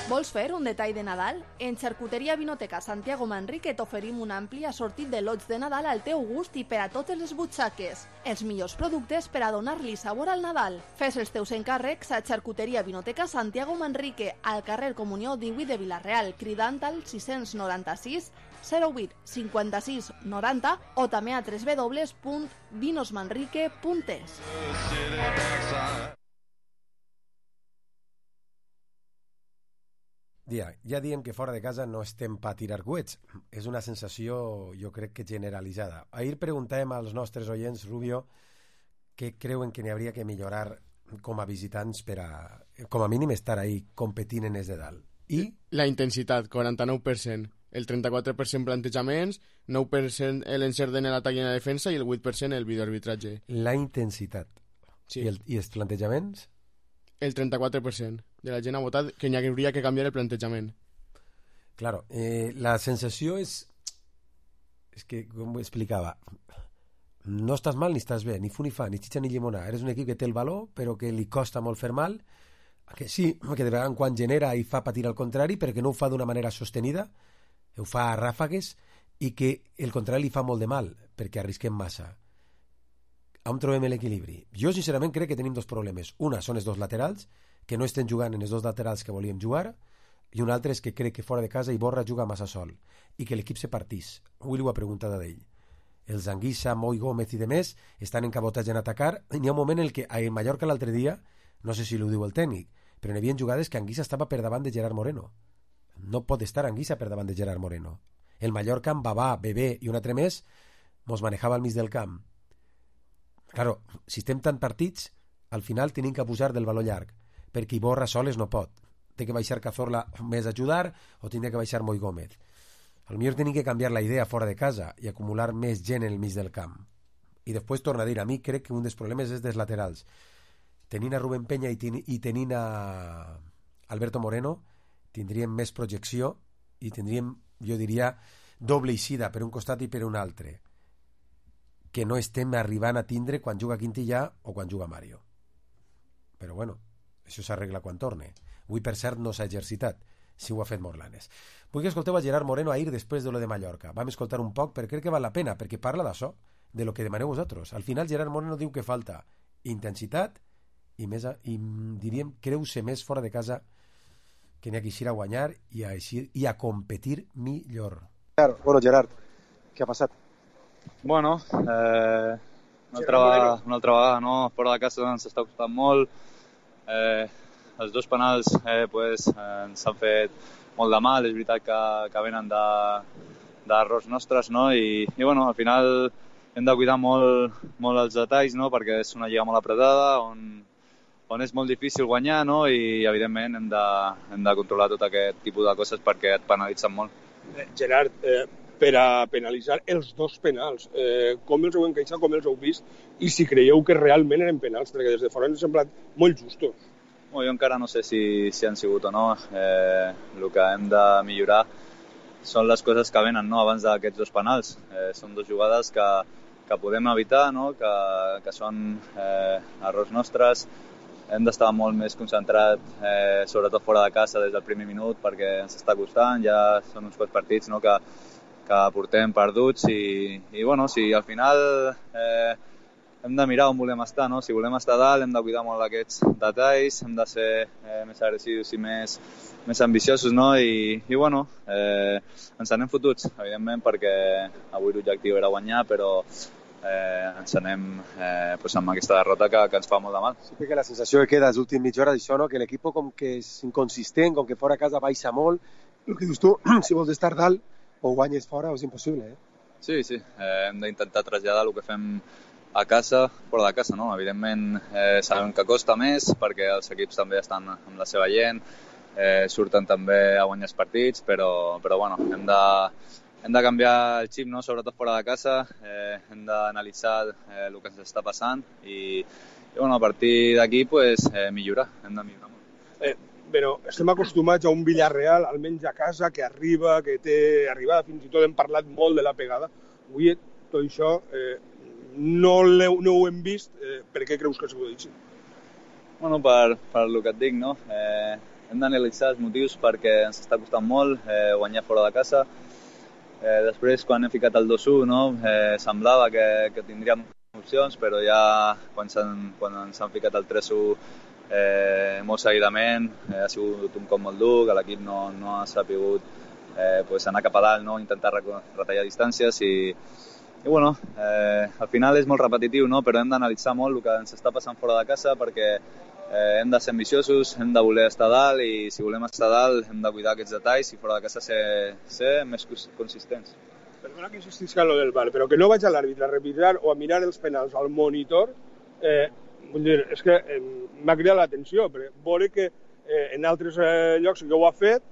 Speaker 14: Vols fer un detall de Nadal? En Xarcuteria Vinoteca Santiago Manrique t'oferim un ampli assortit de lots de Nadal al teu gust i per a totes les butxaques. Els millors productes per a donar-li sabor al Nadal. Fes els teus encàrrecs a Xarcuteria Vinoteca Santiago Manrique, al carrer Comunió 18 de Vila-real, cridant al 696 08 56 90 o també a www.vinosmanrique.es.
Speaker 3: Ja diem que fora de casa no estem per tirar coets. És una sensació, jo crec que generalitzada. Ahir preguntàvem als nostres oients, Rubio, què creuen que n'hi hauria que millorar com a visitants per a, com a mínim, estar ahí competint en els de dalt. I?
Speaker 4: La intensitat, 49%. El 34% plantejaments, 9% l'encert en l'atac i en la defensa i el 8% el videoarbitratge.
Speaker 3: La intensitat. Sí. I els plantejaments?
Speaker 4: El 34% de la gent ha votat que n'hi hauria que canviar el plantejament.
Speaker 3: Claro, la sensació és que, com ho explicava, no estàs mal ni estàs bé, ni fu ni fa, ni xitxa ni llimona. Eres un equip que té el valor, però que li costa molt fer mal, que sí, que de vegades en quan genera i fa patir al contrari, perquè no ho fa d'una manera sostenida, ho fa a ràfegues, i que el contrari li fa molt de mal, perquè arrisquem massa. On trobem l'equilibri? Jo sincerament crec que tenim dos problemes. Una són els dos laterals, que no estem jugant en els dos laterals que volíem jugar, i un altre és que crec que fora de casa Iborra juga massa sol i que l'equip se partís. Avui ho ha preguntat a d'ell. Els Anguissa, Moi Gómez i demés estan encabotats en atacar. N'hi ha un moment en què a Mallorca l'altre dia, no sé si ho diu el tècnic, però n'hi havia jugades que Anguissa estava per davant de Gerard Moreno. No pot estar Anguissa per davant de Gerard Moreno. El Mallorca amb Babà, Bebé i un altre més mos manejava al mig del camp. Claro, si estem tan partits, al final tenim que abusar del valor llarg, perquè Iborra soles no pot. Té que baixar Cazorla més a ajudar o tindrà que baixar Moi Gómez. Al millor tenim que canviar la idea fora de casa i acumular més gent en el mig del camp. I després torna a dir, a mi crec que un dels problemes és dels laterals. Tenint a Rubén Peña i tenint a Alberto Moreno, tindríem més projecció i tindríem, jo diria, doble eixida per un costat i per un altre, que no estem arribant a tindre quan juga Quintillà o quan juga Mario. Però bueno, això s'arregla quan torne. Avui, per cert, no s'ha exercitat, si ho ha fet Morlanes. Vull que escolteu a Gerard Moreno ahir després de lo de Mallorca. Vam escoltar un poc, perquè crec que val la pena, perquè parla d'això, de lo que demaneu vosaltres. Al final, Gerard Moreno diu que falta intensitat i diríem, creu-se més fora de casa que n'hi ha que eixir a guanyar i a competir millor.
Speaker 23: Bueno, Gerard, què ha passat?
Speaker 24: Bueno, una altra vegada, no? Fora de casa ens està costant molt. Els dos penals ens han fet molt de mal. És veritat que venen d'errors nostres, no? I bueno, al final hem de cuidar molt els detalls, no? Perquè és una lliga molt apretada, on és molt difícil guanyar, no? I evidentment hem de controlar tot aquest tipus de coses perquè et penalitzen molt.
Speaker 23: Gerard,
Speaker 2: per a penalitzar els 2 penals. Com els heu encaixat, com els heu vist, i si creieu que realment eren penals, perquè des de fora ens han semblat molt justos.
Speaker 24: Jo encara no sé si han sigut o no. El que hem de millorar són les coses que venen, no? Abans d'aquests 2 penals. Són 2 jugades que podem evitar, no? Que són errors nostres. Hem d'estar molt més concentrat, sobretot fora de casa des del primer minut, perquè ens està costant. Ja són uns quants partits, no? que portem perduts i bueno, si al final hem de mirar on volem estar, no? Si volem estar dalt hem de cuidar molt d'aquests detalls, hem de ser més agressius i més ambiciosos, no? I bueno, ens anem fotuts, evidentment, perquè avui l'objectiu era guanyar, però ens anem amb aquesta derrota que ens fa molt de mal.
Speaker 23: Sí, perquè la sensació que queda les últimes mitja hora d'això, no? Que l'equip com que és inconsistent, com que fora a casa baixa molt. El que dius tu, si vols estar dalt o guanyes fora, és impossible,
Speaker 24: Sí, hem d'intentar traslladar el que fem a casa, fora de casa, no? Evidentment sabem que costa més perquè els equips també estan amb la seva gent, surten també a guanyar els partits, però bueno, hem de canviar el xip, no? Sobretot fora de casa, hem d'analitzar el que ens està passant i bueno, a partir d'aquí pues, millorar, hem de millorar molt.
Speaker 2: Però estem acostumats a un Villarreal, almenys a casa, que arriba, que té arribada, fins i tot hem parlat molt de la pegada. Avui tot això no ho hem vist. Per què creus que s'ho dit?
Speaker 24: Bueno, per el que et dic, no? Hem d'analitzar els motius perquè ens està costant molt guanyar fora de casa. Després, quan hem ficat el 2-1, no? Semblava que tindríem opcions, però ja quan ens han ficat el 3-1 molt seguidament, ha sigut un cop molt dur, que l'equip no ha sapigut anar cap a dalt, no? Intentar retallar distàncies i bueno, al final és molt repetitiu, no? Però hem d'analitzar molt el que ens està passant fora de casa perquè hem de ser ambiciosos, hem de voler estar dalt i si volem estar dalt hem de cuidar aquests detalls i fora de casa ser més consistents.
Speaker 2: Perdona que insistisca en lo del VAR, però que no vaig a l'àrbitre a revisar o a mirar els penals al monitor, vull dir, és que m'ha cridat l'atenció, però veure que en altres llocs que ho ha fet,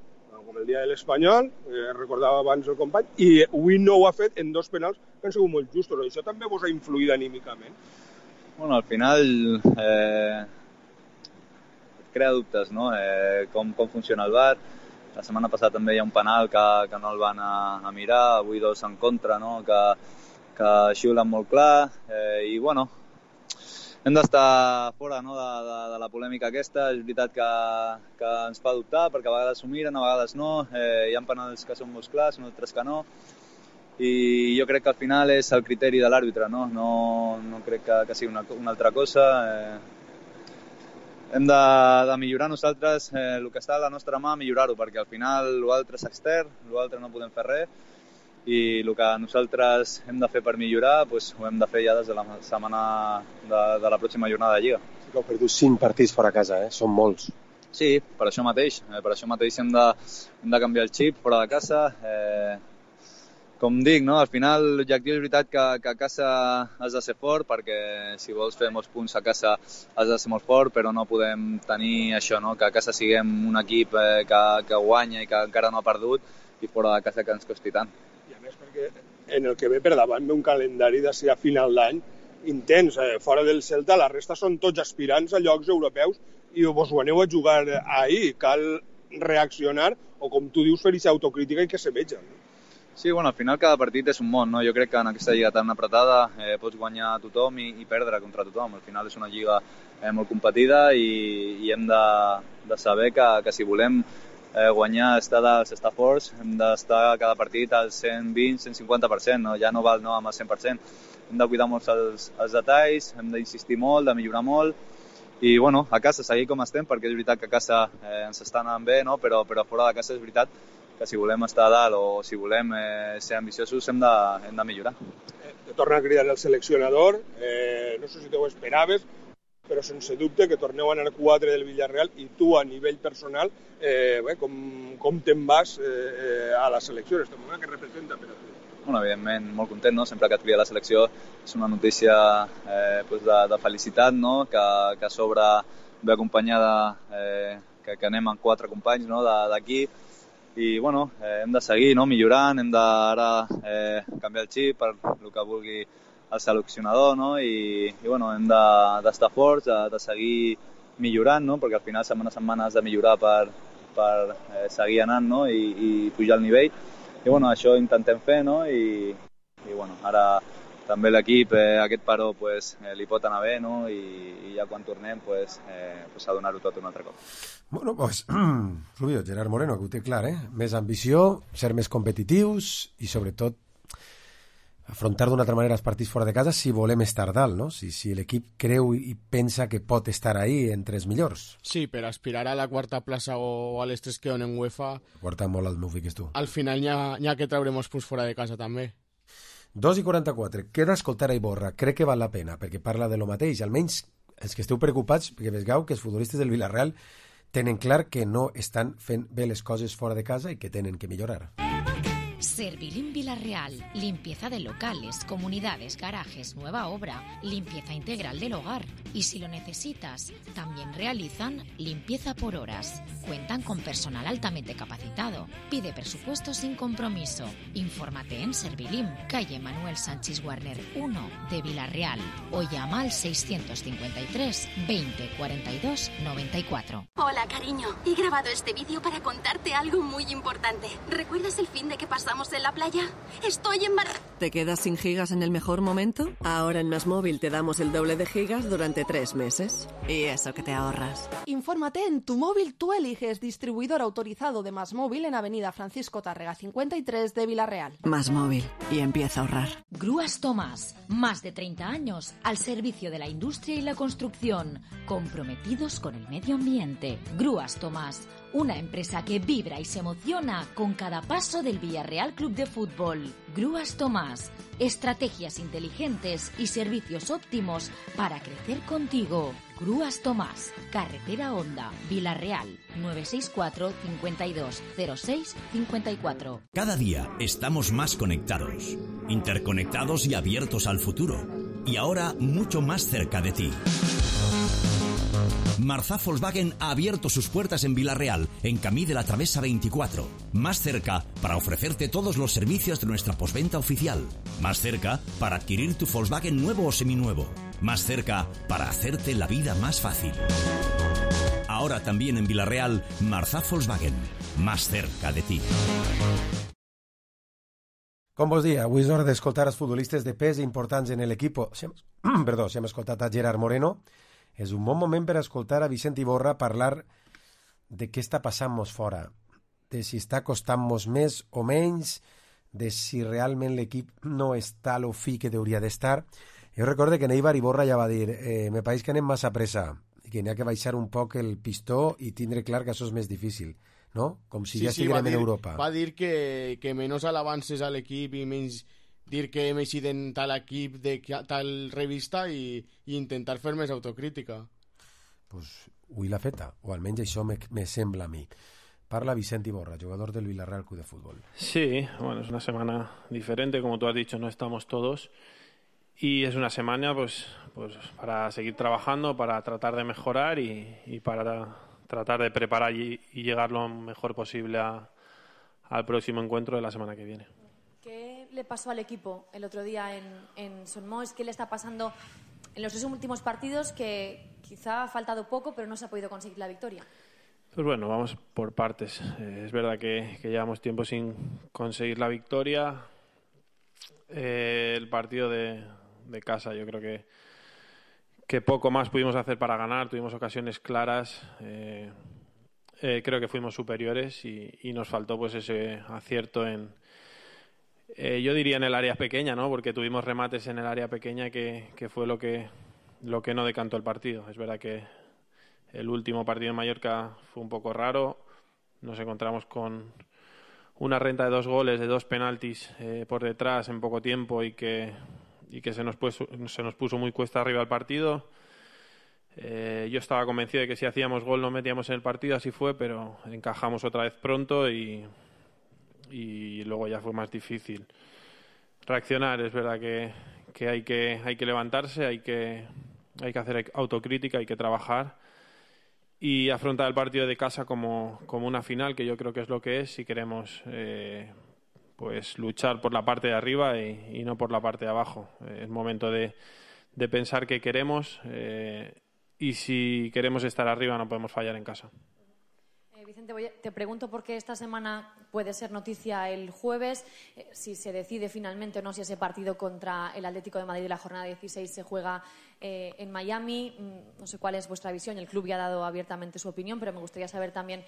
Speaker 2: com el dia de l'Espanyol, recordava abans el company, i avui no ho ha fet en 2 penals que han sigut molt justos. Això també vos ha influït anímicament?
Speaker 24: Bueno, al final crea dubtes, no? Com funciona el VAR. La setmana passada també hi ha un penal que no el van a mirar, avui 2 en contra, no? Que xiulen molt clar, i bueno, hem d'estar fora, no? de la polèmica aquesta. És veritat que ens fa dubtar perquè a vegades s'ho miren, a vegades no. Hi ha penals que són molt clars, altres que no. I jo crec que al final és el criteri de l'àrbitre, no? No crec que sigui una altra cosa. Hem de millorar nosaltres el que està a la nostra mà, millorar-ho, perquè al final l'altre és extern, l'altre no podem fer res, i el que nosaltres hem de fer per millorar doncs ho hem de fer ja des de la setmana de la pròxima jornada de Lliga.
Speaker 23: Sí que heu perdut 5 partits fora a casa, són molts.
Speaker 24: Sí, per això mateix hem de canviar el xip fora de casa. Com dic, no? Al final l'objectiu és veritat que a casa has de ser fort, perquè si vols fer molts punts a casa has de ser molt fort, però no podem tenir això, no? Que a casa siguem un equip que guanya i que encara no ha perdut i fora de casa que ens costi tant.
Speaker 2: I a més perquè en el que ve per davant ve un calendari de ser a final d'any intens. Fora del Celta la resta són tots aspirants a llocs europeus i vos ho aneu a jugar ahir. Cal reaccionar o, com tu dius, fer aquesta autocrítica i que se veja.
Speaker 24: Sí, bueno, al final cada partit és un món, no? Jo crec que en aquesta lliga tan apretada pots guanyar a tothom i perdre contra tothom. Al final és una lliga molt competida i hem de saber que si volem guanyar, estar dalt, estar forts, hem d'estar cada partit al 120-150%, no? Ja no val amb el 100%. Hem de cuidar molt els detalls, hem d'insistir molt, de millorar molt i, bueno, a casa seguir com estem, perquè és veritat que a casa ens està anant bé, no? Però fora de casa és veritat que si volem estar a dalt o si volem ser ambiciosos hem de millorar.
Speaker 2: Te torna a cridar el seleccionador, no sé si te ho esperaves, però sense dubte que torneu a anar 4 del Villarreal i tu a nivell personal, com te'n vas a la selecció, este moment que representa per a tu?
Speaker 24: Bueno, evidentment, molt content, no? Sempre que et crida la selecció és una notícia de felicitat, no? Que a sobre ve acompanyada que anem amb 4 companys, no? D'aquí. i bueno, hem de seguir, no?, millorant, hem d'ara canviar el xip per el que vulgui el seleccionador, no?, i bueno, hem d'estar forts, de seguir millorant, no?, perquè al final setmana a setmana has de millorar per seguir anant, no?, i pujar el nivell. I bueno, això intentem fer, no?, i bueno, ara també l'equip, aquest paró pues, li pot anar bé, no?, i ja quan tornem pues, a donar-ho tot un altre cop.
Speaker 3: Bueno, pues, Rubio, Gerard Moreno, que ho té clar, més ambició, ser més competitius i sobretot afrontar d'una altra manera els partits fora de casa si volem estar dalt, no? Si l'equip creu i pensa que pot estar ahí entre els millors.
Speaker 4: Sí, per aspirar a la quarta plaça o a les 3 que donen UEFA...
Speaker 3: Guarda molt el meu fiques tu.
Speaker 4: Al final n'hi ha que traurem punts fora de casa també.
Speaker 3: 2:44. Queda escoltar a Iborra. Crec que val la pena, perquè parla de lo mateix. Almenys els que esteu preocupats, perquè vegeu que els futbolistes del Villarreal tenen clar que no estan fent bé les coses fora de casa i que tenen que millorar.
Speaker 22: Servilim Villarreal, limpieza de locales, comunidades, garajes, nueva obra, limpieza integral del hogar. Y si lo necesitas, también realizan limpieza por horas. Cuentan con personal altamente capacitado. Pide presupuesto sin compromiso. Infórmate en Servilim, calle Manuel Sánchez Warner 1 de Villarreal o llama al 653 20 42 94.
Speaker 5: Hola, cariño. He grabado este vídeo para contarte algo muy importante. ¿Recuerdas el fin de que pasamos en la playa? Estoy embarazada.
Speaker 6: ¿Te quedas sin gigas en el mejor momento? Ahora en MásMóvil te damos el doble de gigas durante 3 meses. Y eso que te ahorras.
Speaker 14: Infórmate en Tu Móvil Tú Eliges, distribuidor autorizado de MásMóvil en Avenida Francisco Tárrega 53 de Villarreal.
Speaker 6: MásMóvil. Y empieza a ahorrar.
Speaker 22: Grúas Tomás, más de 30 años al servicio de la industria y la construcción, comprometidos con el medio ambiente. Grúas Tomás, una empresa que vibra y se emociona con cada paso del Villarreal Club de Fútbol. Grúas Tomás, estrategias inteligentes y servicios óptimos para crecer contigo. Grúas Tomás, Carretera Honda, Villarreal, 964 52 06 54.
Speaker 7: Cada día estamos más conectados, interconectados y abiertos al futuro. Y ahora mucho más cerca de ti. Marzá Volkswagen ha abierto sus puertas en Villarreal, en Camí de la Travesa 24. Más cerca para ofrecerte todos los servicios de nuestra postventa oficial. Más cerca para adquirir tu Volkswagen nuevo o seminuevo. Más cerca para hacerte la vida más fácil. Ahora también en Villarreal, Marzá Volkswagen. Más cerca de ti.
Speaker 3: Com vos dia, avui és hora d'escoltar els futbolistes de pes importants en l'equip. Si hem escoltat a Gerard Moreno, és un bon moment per escoltar a Vicent Iborra parlar de què està passant-nos fora, de si està costant-nos més o menys, de si realment l'equip no està a lo fi que hauria d'estar. Jo recordo que Neibar Iborra ja va dir me pareix que anem massa pressa i que n'hi ha que baixar un poc el pistó i tindre clar que això és més difícil, no? Com si ja estiguem en Europa.
Speaker 4: Va dir que menys alabances a l'equip i menys dir que hem eixit en tal equip de tal revista i intentar fer més autocrítica.
Speaker 3: Pues avui l'ha feta, o almenys això me sembla a mi. Parla Vicent Iborra, jugador del Villarreal Club de Fútbol.
Speaker 17: Sí, bueno, es una semana diferente, como tú has dicho, no estamos todos. Y es una semana pues para seguir trabajando, para tratar de mejorar y para tratar de preparar y llegar lo mejor posible al próximo encuentro de la semana que viene.
Speaker 8: ¿Qué le pasó al equipo el otro día en Son Moix? ¿Qué le está pasando en los 2 últimos partidos que quizá ha faltado poco pero no se ha podido conseguir la victoria?
Speaker 17: Pues bueno, vamos por partes. Es verdad que llevamos tiempo sin conseguir la victoria. El partido de casa, yo creo que poco más pudimos hacer para ganar. Tuvimos ocasiones claras. Creo que fuimos superiores y nos faltó pues ese acierto yo diría en el área pequeña, ¿no? Porque tuvimos remates en el área pequeña que fue lo que no decantó el partido. Es verdad que el último partido en Mallorca fue un poco raro. Nos encontramos con una renta de 2 goles, de 2 penaltis por detrás en poco tiempo y que se nos puso muy cuesta arriba el partido. Yo estaba convencido de que si hacíamos gol no metíamos en el partido, así fue, pero encajamos otra vez pronto y luego ya fue más difícil reaccionar. Es verdad que hay que levantarse, hay que hacer autocrítica, hay que trabajar y afrontar el partido de casa como una final, que yo creo que es lo que es, si queremos pues luchar por la parte de arriba y no por la parte de abajo. Es momento de pensar qué queremos y si queremos estar arriba no podemos fallar en casa.
Speaker 8: Vicente, te pregunto por qué esta semana puede ser noticia el jueves, si se decide finalmente o no si ese partido contra el Atlético de Madrid de la jornada 16 se juega en Miami. No sé cuál es vuestra visión, el club ya ha dado abiertamente su opinión, pero me gustaría saber también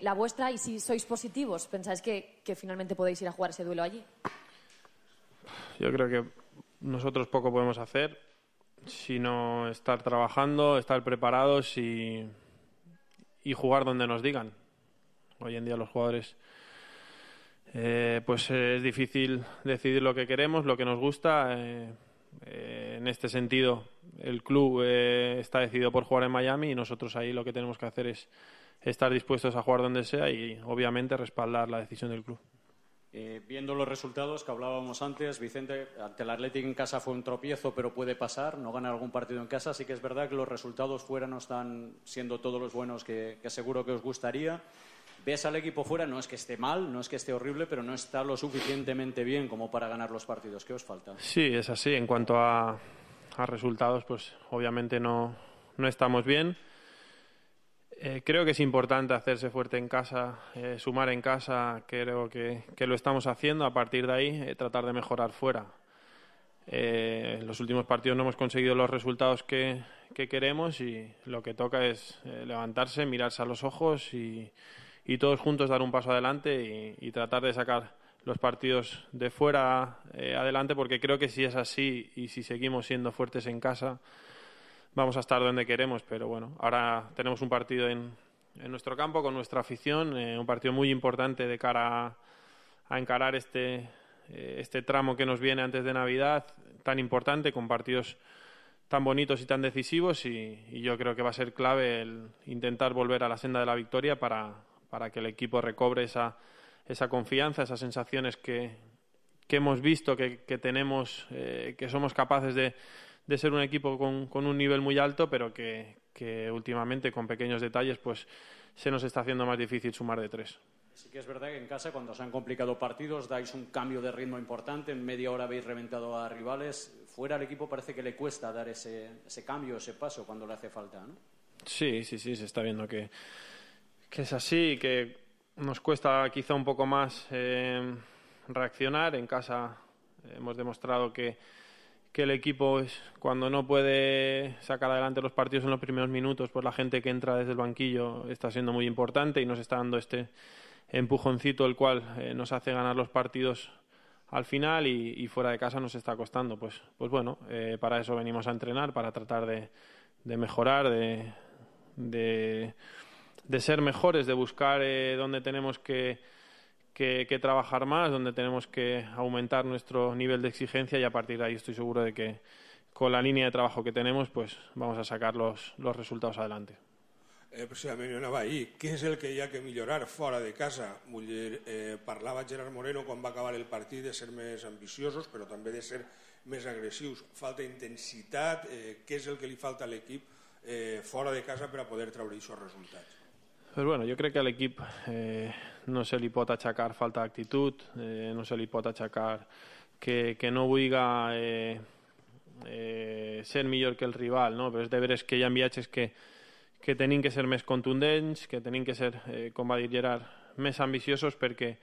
Speaker 8: la vuestra y si sois positivos, ¿pensáis que finalmente podéis ir a jugar ese duelo allí?
Speaker 17: Yo creo que nosotros poco podemos hacer, sino estar trabajando, estar preparados y jugar donde nos digan. Hoy en día los jugadores pues es difícil decidir lo que queremos, lo que nos gusta. En este sentido el club está decidido por jugar en Miami y nosotros ahí lo que tenemos que hacer es estar dispuestos a jugar donde sea y obviamente respaldar la decisión del club.
Speaker 1: Viendo los resultados que hablábamos antes, Vicente, ante el Athletic en casa fue un tropiezo, pero puede pasar, no ganar algún partido en casa. Sí que es verdad que los resultados fuera no están siendo todos los buenos que seguro que os gustaría. Ves al equipo fuera, no es que esté mal, no es que esté horrible, pero no está lo suficientemente bien como para ganar los partidos. ¿Qué os falta?
Speaker 17: Sí, es así. En cuanto a resultados, pues obviamente no estamos bien. Creo que es importante hacerse fuerte en casa, sumar en casa. Creo que lo estamos haciendo. A partir de ahí, tratar de mejorar fuera. En los últimos partidos no hemos conseguido los resultados que queremos y lo que toca es levantarse, mirarse a los ojos y todos juntos dar un paso adelante y tratar de sacar los partidos de fuera adelante, porque creo que si es así y si seguimos siendo fuertes en casa vamos a estar donde queremos. Pero bueno, ahora tenemos un partido en nuestro campo con nuestra afición, un partido muy importante de cara a encarar este tramo que nos viene antes de Navidad, tan importante, con partidos tan bonitos y tan decisivos, y yo creo que va a ser clave el intentar volver a la senda de la victoria para que el equipo recobre esa confianza, esas sensaciones que hemos visto, que tenemos, que somos capaces de ser un equipo con un nivel muy alto, pero que últimamente con pequeños detalles pues se nos está haciendo más difícil sumar de tres.
Speaker 1: Sí que es verdad que en casa, cuando se han complicado partidos, dais un cambio de ritmo importante, en media hora habéis reventado a rivales. Fuera al equipo parece que le cuesta dar ese cambio, ese paso cuando le hace falta, ¿no? Sí, se está viendo que es así, que nos cuesta quizá un poco más reaccionar. En casa hemos demostrado que el equipo, cuando no puede sacar adelante los partidos en los primeros minutos, pues la gente que entra desde el banquillo está siendo muy importante y nos está dando este empujoncito, el cual nos hace ganar los partidos al final, y fuera de casa nos está costando. Pues bueno, para eso venimos a entrenar, para tratar de mejorar, de ser mejores, de buscar dónde tenemos que trabajar más, donde tenemos que aumentar nuestro nivel de exigencia, y a partir de ahí estoy seguro de que con la línea de trabajo que tenemos pues vamos a sacar los resultados adelante.
Speaker 2: Precisament jo anava ahir. Què és el que hi ha que millorar fora de casa? Vull dir, parlava Gerard Moreno quan va acabar el partit de ser més ambiciosos, però també de ser més agressius. Falta intensitat. Què és el que li falta a l'equip fora de casa per a poder treure aquests resultats?
Speaker 17: Pues bueno, jo crec que a l'equip no se li pot achacar falta d'actitud, no se li pot achacar que no vulga ser millor que el rival, no? Però és de veres que hi ha viatges que tenim que ser més contundents, que tenim que ser, com va dir Gerard, més ambiciosos, perquè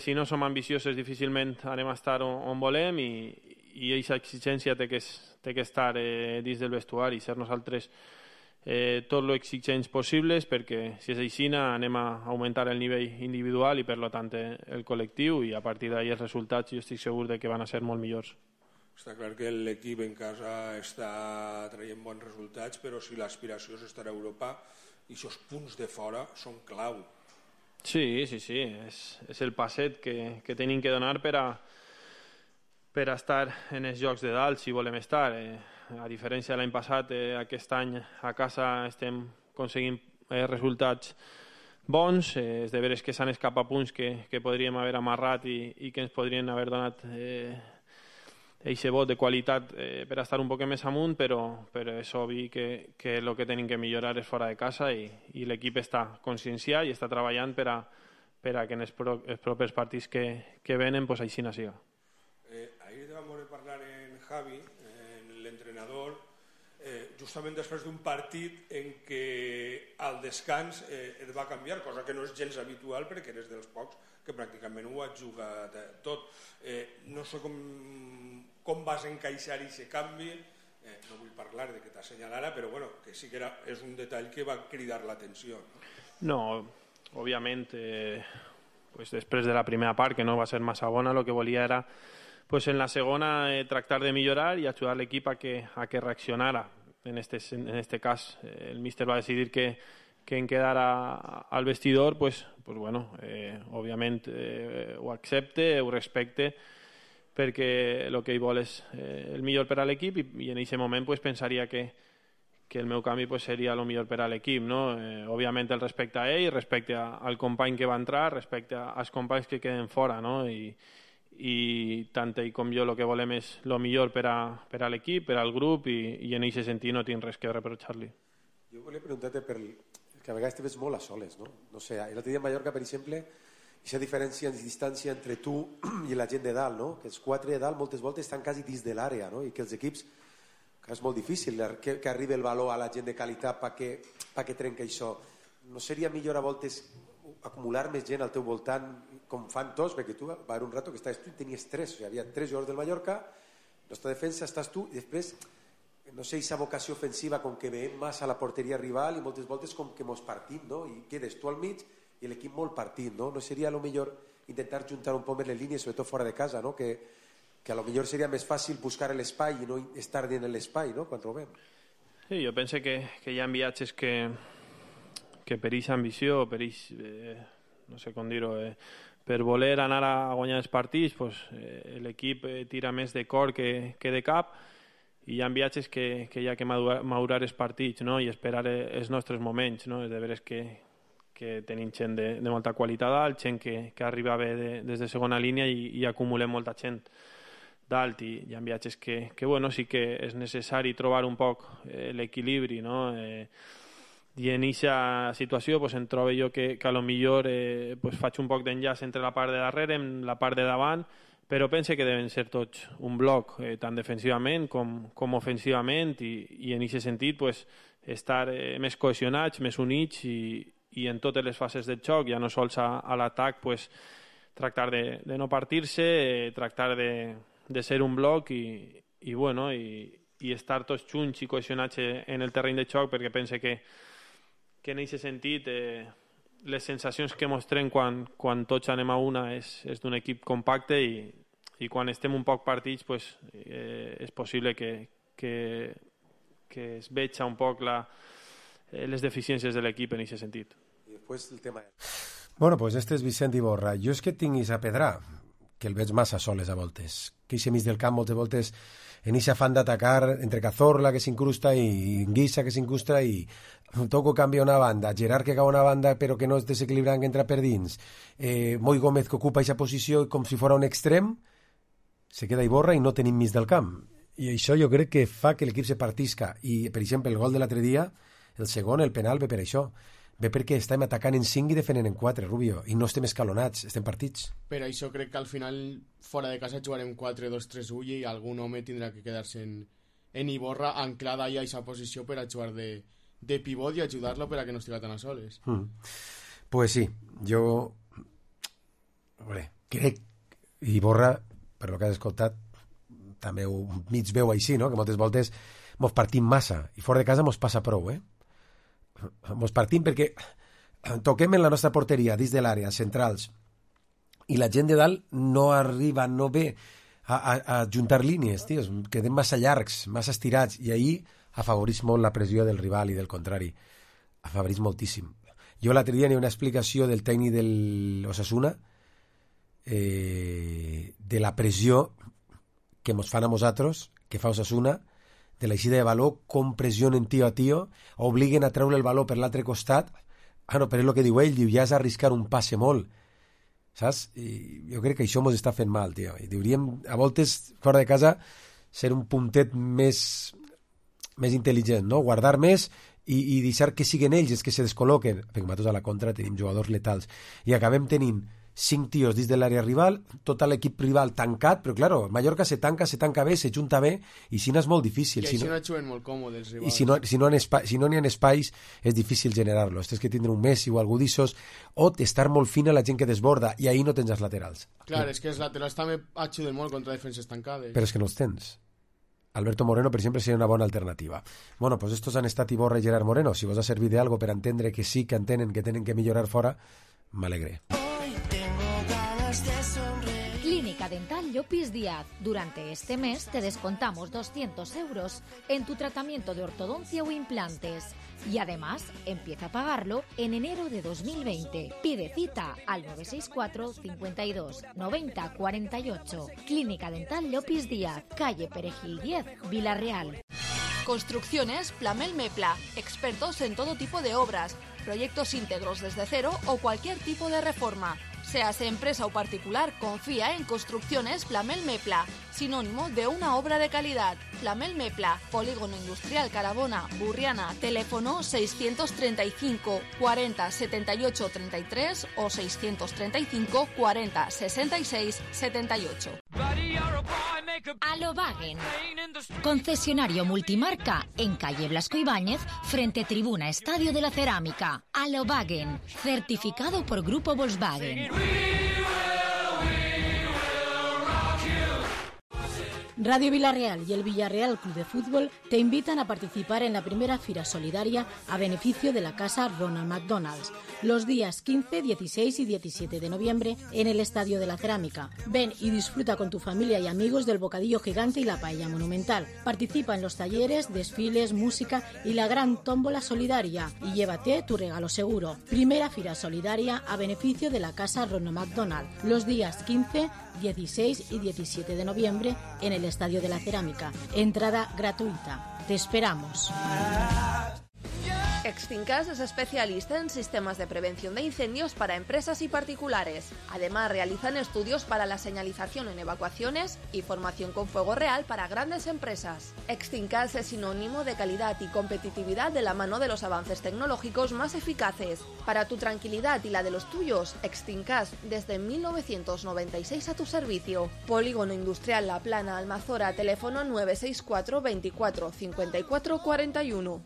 Speaker 17: si no som ambiciosos difícilment anem a estar on volem, i aquesta exigència té que estar dins del vestuari, ser nosaltres tot lo exigents possibles, perquè si és així anem a augmentar el nivell individual i per tant el col·lectiu, i a partir d'ahí els resultats jo estic segur de que van a ser molt millors.
Speaker 2: Està clar que l'equip en casa està traient bons resultats, però si l'aspiració és estar a Europa, aquests punts de fora són clau.
Speaker 17: Sí, és el passet que tenim que donar per a estar en els jocs de dalt, si volem estar. A diferència de l'any passat, aquest any a casa estem aconseguint resultats bons. És de veres que s'han escapat punts que podríem haver amarrat i que ens podrien haver donat eixe vot de qualitat per estar un poc més amunt, però és obvi que el que tenim que millorar és fora de casa i l'equip està conscienciat i està treballant per a que en els propers partits que venen pues, així no siga.
Speaker 2: Ahir vam veure parlar en Javi, l'entrenador, justament després d'un partit en què al descans et va canviar, cosa que no és gens habitual perquè eres dels pocs que pràcticament ho ha jugat tot. No sé com vas encaixar aquest canvi, no vull parlar de que t'assenyalara, però bueno, que sí que és un detall que va cridar l'atenció.
Speaker 17: No, òbviament, pues després de la primera part, que no va ser massa bona, el que volia era pues en la segona tractar de millorar y ayudar al equipo a que reaccionara. En este caso, el míster va a decidir que en quedar al vestidor, pues bueno, obviamente ho accepte, ho respecte, perquè el que hi vol és el millor per a l'equip i en aquest moment pues, pensaria que el meu canvi pues, seria el millor per a l'equip, no? Òbviament el respecte a ell, respecte al company que va entrar, respecte als companys que queden fora, no? I tant ell com jo el que volem és el millor per a l'equip, per al grup i en aquest sentit no tinc res que reprochar-li.
Speaker 3: Jo volia preguntar-te que a vegades te veig molt a soles, no? No sé, l'altre dia a Mallorca, per exemple, aquesta diferència en distància entre tu i la gent de dalt, no? Que els 4 de dalt moltes voltes estan quasi dins de l'àrea, no? I que els equips, que és molt difícil que arribi el valor a la gent de qualitat perquè trenca això. No seria millor a voltes acumular més gent al teu voltant com fan tots, perquè tu va haver un rato que estaves tu i tenies 3, o sigui, havia 3 jugadors del Mallorca, nostra defensa estàs tu i després, no sé, aquesta vocació ofensiva com que veiem massa a la porteria rival i moltes voltes com que mos partim, no? I quedes tu al mig i l'equip molt partit, no? No seria a lo millor intentar juntar un poc més les línies, sobretot fora de casa, no? Que a lo millor seria més fàcil buscar l'espai i no estar dins l'espai, no? Quan trobem.
Speaker 17: Sí, jo penso que hi ha viatges que per aquesta ambició, per no sé com dir-ho, per voler anar a guanyar els partits, pues, l'equip tira més de cor que de cap i hi ha viatges que hi ha que madurar els partits, no? I esperar els nostres moments, no? És de veres que tenim gent de molta qualitat dalt, gent que arriba bé des de segona línia i acumulem molta gent dalt i hi ha viatges que bueno, sí que és necessari trobar un poc l'equilibri, no? I en aquesta situació pues, em trobo jo que a lo millor pues, faig un poc d'enllaç entre la part de darrere i la part de davant, però pense que deuen ser tots un bloc, tant defensivament com ofensivament i en aquest sentit pues, estar més cohesionats, més units i en totes les fases del joc, ja no sols a l'atac, pues, tractar de no partir-se, tractar de ser un bloc i bueno, i estar tots junts i cohesionats en el terreny de joc, perquè pense que en aquest sentit les sensacions que mostrem quan tots anem a una és d'un equip compacte i quan estem un poc partits pues, és possible que es veja un poc les deficiències de l'equip en aquest sentit.
Speaker 3: I després el tema... Bueno, pues este és Vicent Iborra. Jo és que tinc a Pedrà, que el veig massa soles a voltes. Que eixe mig del camp moltes voltes en eixe afán d'atacar entre Cazorla que s'incrusta i Guisa que s'incrusta i Toco canvia una banda, Gerard que cau una banda però que no és desequilibrant que entra per dins, Moi Gómez que ocupa eixa posició com si fora un extrem, se queda Iborra i no tenim mig del camp. I això jo crec que fa que l'equip se partisca. I, per exemple, el gol de l'altre dia, el segon, el penal, ve per això. Ve perquè estem atacant en 5 i defendent en 4, Rubio, i no estem escalonats, estem partits.
Speaker 4: Per això crec que al final, fora de casa, jugarem 4-2-3-1 i algun home tindrà que quedar-se en Iborra anclada ja a aquesta posició per a jugar de pivot i ajudar-lo per a que no estigui tan a soles.
Speaker 3: Pues sí, jo crec Iborra, per lo que has escoltat, també ho mig veu així, no? Que moltes voltes mos partim massa i fora de casa mos passa prou, mos partim perquè toquem en la nostra porteria dins de l'àrea, centrals, i la gent de dalt no arriba, no ve a juntar línies, tios, quedem massa llargs, massa estirats, i ahir afavoreix molt la pressió del rival i del contrari, afavoreix moltíssim. Jo l'altre dia n'hi ha una explicació del tècnic de l'Osasuna de la pressió que mos fan a nosaltres, que fa Osasuna, de l'eixida de valor, com pressionen tio a tio, obliguen a treure el valor per l'altre costat. No, però és el que diu ell, diu, ja és arriscar un passe molt. saps? I jo crec que això ens està fent mal, tio. I hauríem, a voltes, fora de casa, ser un puntet més intel·ligent, no? Guardar més i deixar que siguin ells els que se descol·loquen. Perquè nosaltres a la contra tenim jugadors letals. I acabem tenint 5 tios dins de l'àrea rival, tot l'equip rival tancat, però claro, Mallorca se tanca bé, se junta bé, i si no és molt difícil.
Speaker 4: I així no juguen molt còmodes els rivals.
Speaker 3: I si no n'hi ha espais, és difícil generar-lo. Tens que tindre un Messi o algú d'issos, o estar molt fina la gent que desborda, i ahir no tens els laterals.
Speaker 4: Clar, és que els laterals també ajuden molt contra defenses tancades.
Speaker 3: Però és que no els tens. Alberto Moreno, per exemple, seria una bona alternativa. Bueno, pues estos han estat Iborra i Gerard Moreno. Si vos ha servit d'algo per entendre que sí que entenen que tenen que millorar fora, m'alegré.
Speaker 22: Clínica Dental Llopis Díaz. Durante este mes te descontamos 200 € en tu tratamiento de ortodoncia o implantes. Y además, empieza a pagarlo en enero de 2020. Pide cita al 964 52 90 48. Clínica Dental Llopis Díaz, calle Perejil 10, Vila-real.
Speaker 14: Construcciones Plamel Mepla, expertos en todo tipo de obras, proyectos íntegros desde cero o cualquier tipo de reforma. Seas empresa o particular, confía en Construcciones Plamel Mepla, sinónimo de una obra de calidad. Plamel Mepla, Polígono Industrial Carabona, Burriana, teléfono 635 40 78 33 o 635 40 66 78.
Speaker 22: Alobagen, concesionario multimarca en calle Blasco Ibáñez, frente tribuna Estadio de la Cerámica. Alobagen, certificado por Grupo Volkswagen.
Speaker 10: Radio Villarreal y el Villarreal Club de Fútbol te invitan a participar en la primera Fira Solidaria a beneficio de la Casa Ronald McDonald's, los días 15, 16 y 17 de noviembre en el Estadio de la Cerámica. Ven y disfruta con tu familia y amigos del bocadillo gigante y la paella monumental. Participa en los talleres, desfiles, música y la gran tómbola solidaria y llévate tu regalo seguro. Primera Fira Solidaria a beneficio de la Casa Ronald McDonald, los días 15, 16 y 17 de noviembre en el Estadio de la Cerámica. Entrada gratuita. Te esperamos.
Speaker 14: Extincas es especialista en sistemas de prevención de incendios para empresas y particulares. Además, realizan estudios para la señalización en evacuaciones y formación con fuego real para grandes empresas. Extincas es sinónimo de calidad y competitividad de la mano de los avances tecnológicos más eficaces. Para tu tranquilidad y la de los tuyos, Extincas desde 1996 a tu servicio. Polígono Industrial La Plana, Almazora, teléfono 964 24 54 41.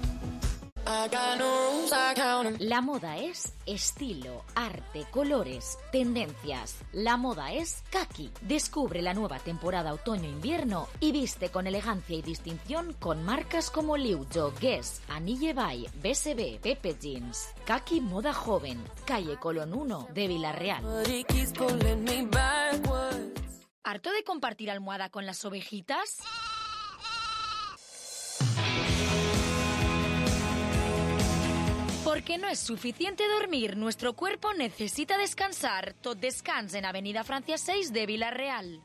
Speaker 22: La moda es estilo, arte, colores, tendencias. La moda es Kaki. Descubre la nueva temporada otoño-invierno y viste con elegancia y distinción con marcas como Liujo, Guess, Anille Bay, BSB, Pepe Jeans. Kaki Moda Joven, calle Colón 1 de Vila-real. ¿Harto de compartir almohada con las ovejitas? Porque no es suficiente dormir, nuestro cuerpo necesita descansar. Tot descans en Avenida Francia 6 de Vila-real.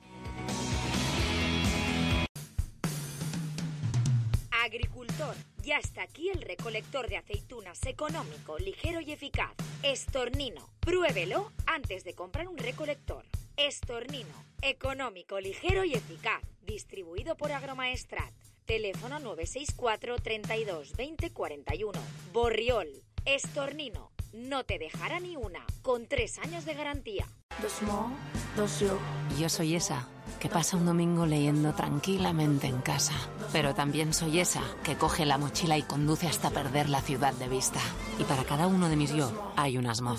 Speaker 22: Agricultor, ya está aquí el recolector de aceitunas económico, ligero y eficaz. Estornino, pruébelo antes de comprar un recolector. Estornino, económico, ligero y eficaz. Distribuido por Agromaestrat. Teléfono 964 32 20 41. Borriol. Estornino, no te dejará ni una, con 3 años de garantía.
Speaker 11: Yo soy esa que pasa un domingo leyendo tranquilamente en casa. Pero también soy esa que coge la mochila y conduce hasta perder la ciudad de vista. Y para cada uno de mis yo hay un asmo.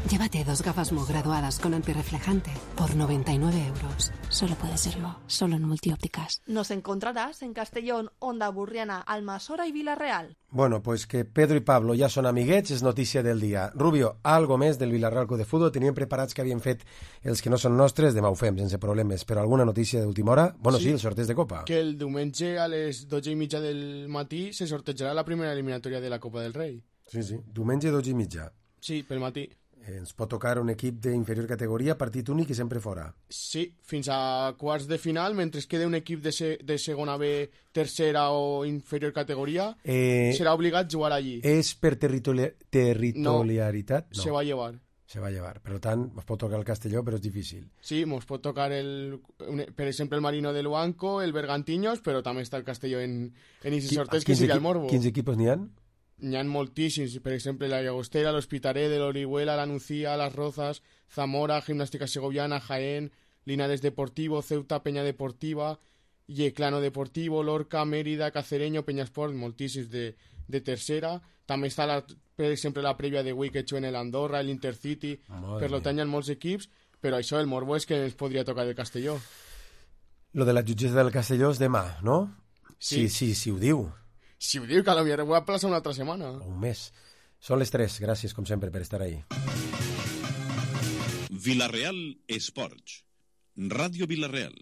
Speaker 12: Llévate 2 gafas Mo graduadas con antirreflejante por 99 €. Solo puede serlo, solo en Multiópticas.
Speaker 14: Nos encontrarás en Castellón, Onda Burriana, Almasora y Vila-real.
Speaker 3: Bueno, pues que Pedro i Pablo ja són amiguets és notícia del dia. Rubio, algo més del Villarreal Club de Futbol? Teníem preparats que havien fet els que no són nostres, demà ho fem, sense problemes. Però alguna notícia d'última hora? Bueno, sí, el sorteig de Copa.
Speaker 4: Que el diumenge a les 12:30 del matí se sortejarà la primera eliminatòria de la Copa del Rei.
Speaker 3: Sí, diumenge 12:30.
Speaker 4: Sí, pel matí.
Speaker 3: Ens pot tocar un equip d'inferior categoria, partit únic i sempre fora.
Speaker 4: Sí, fins a quarts de final, mentre es quede un equip de segona B, tercera o inferior categoria, serà obligat a jugar allí.
Speaker 3: És per territorialitat?
Speaker 4: No, se va llevar.
Speaker 3: se va a llevar. Per tant, mos pot tocar el Castelló, però és difícil.
Speaker 4: Sí, mos pot tocar, per exemple, el Marino del Luanco, el Bergantiños, però també està el Castelló en aquest sorteig, que seria el Morbo.
Speaker 3: Quins equipos n'hi ha?
Speaker 4: N'hi ha moltíssims, per exemple, la Llagostera, l'Hospitalet, l'Orihuela, la Nucía, Las Rozas, Zamora, Gimnàstica Segoviana, Jaén, Linares Deportivo, Ceuta, Peña Deportiva, Yeclano Deportivo, Lorca, Mérida, Cacereño, Peñasport, moltíssims de tercera. També està, per exemple, la prèvia de Wii que he en l'Andorra, l'Intercity, per tant hi ha molts equips, però això, el morbo és que ens podria tocar el Castelló.
Speaker 3: Lo de la jutgessa del Castelló és demà, no?
Speaker 4: Sí.
Speaker 3: Sí, ho diu.
Speaker 4: Si ho diu, que potser ho va plaçar una altra setmana.
Speaker 3: Un mes. Són les 3, gràcies com sempre per estar ahí.
Speaker 9: Villarreal Esports. Ràdio Villarreal.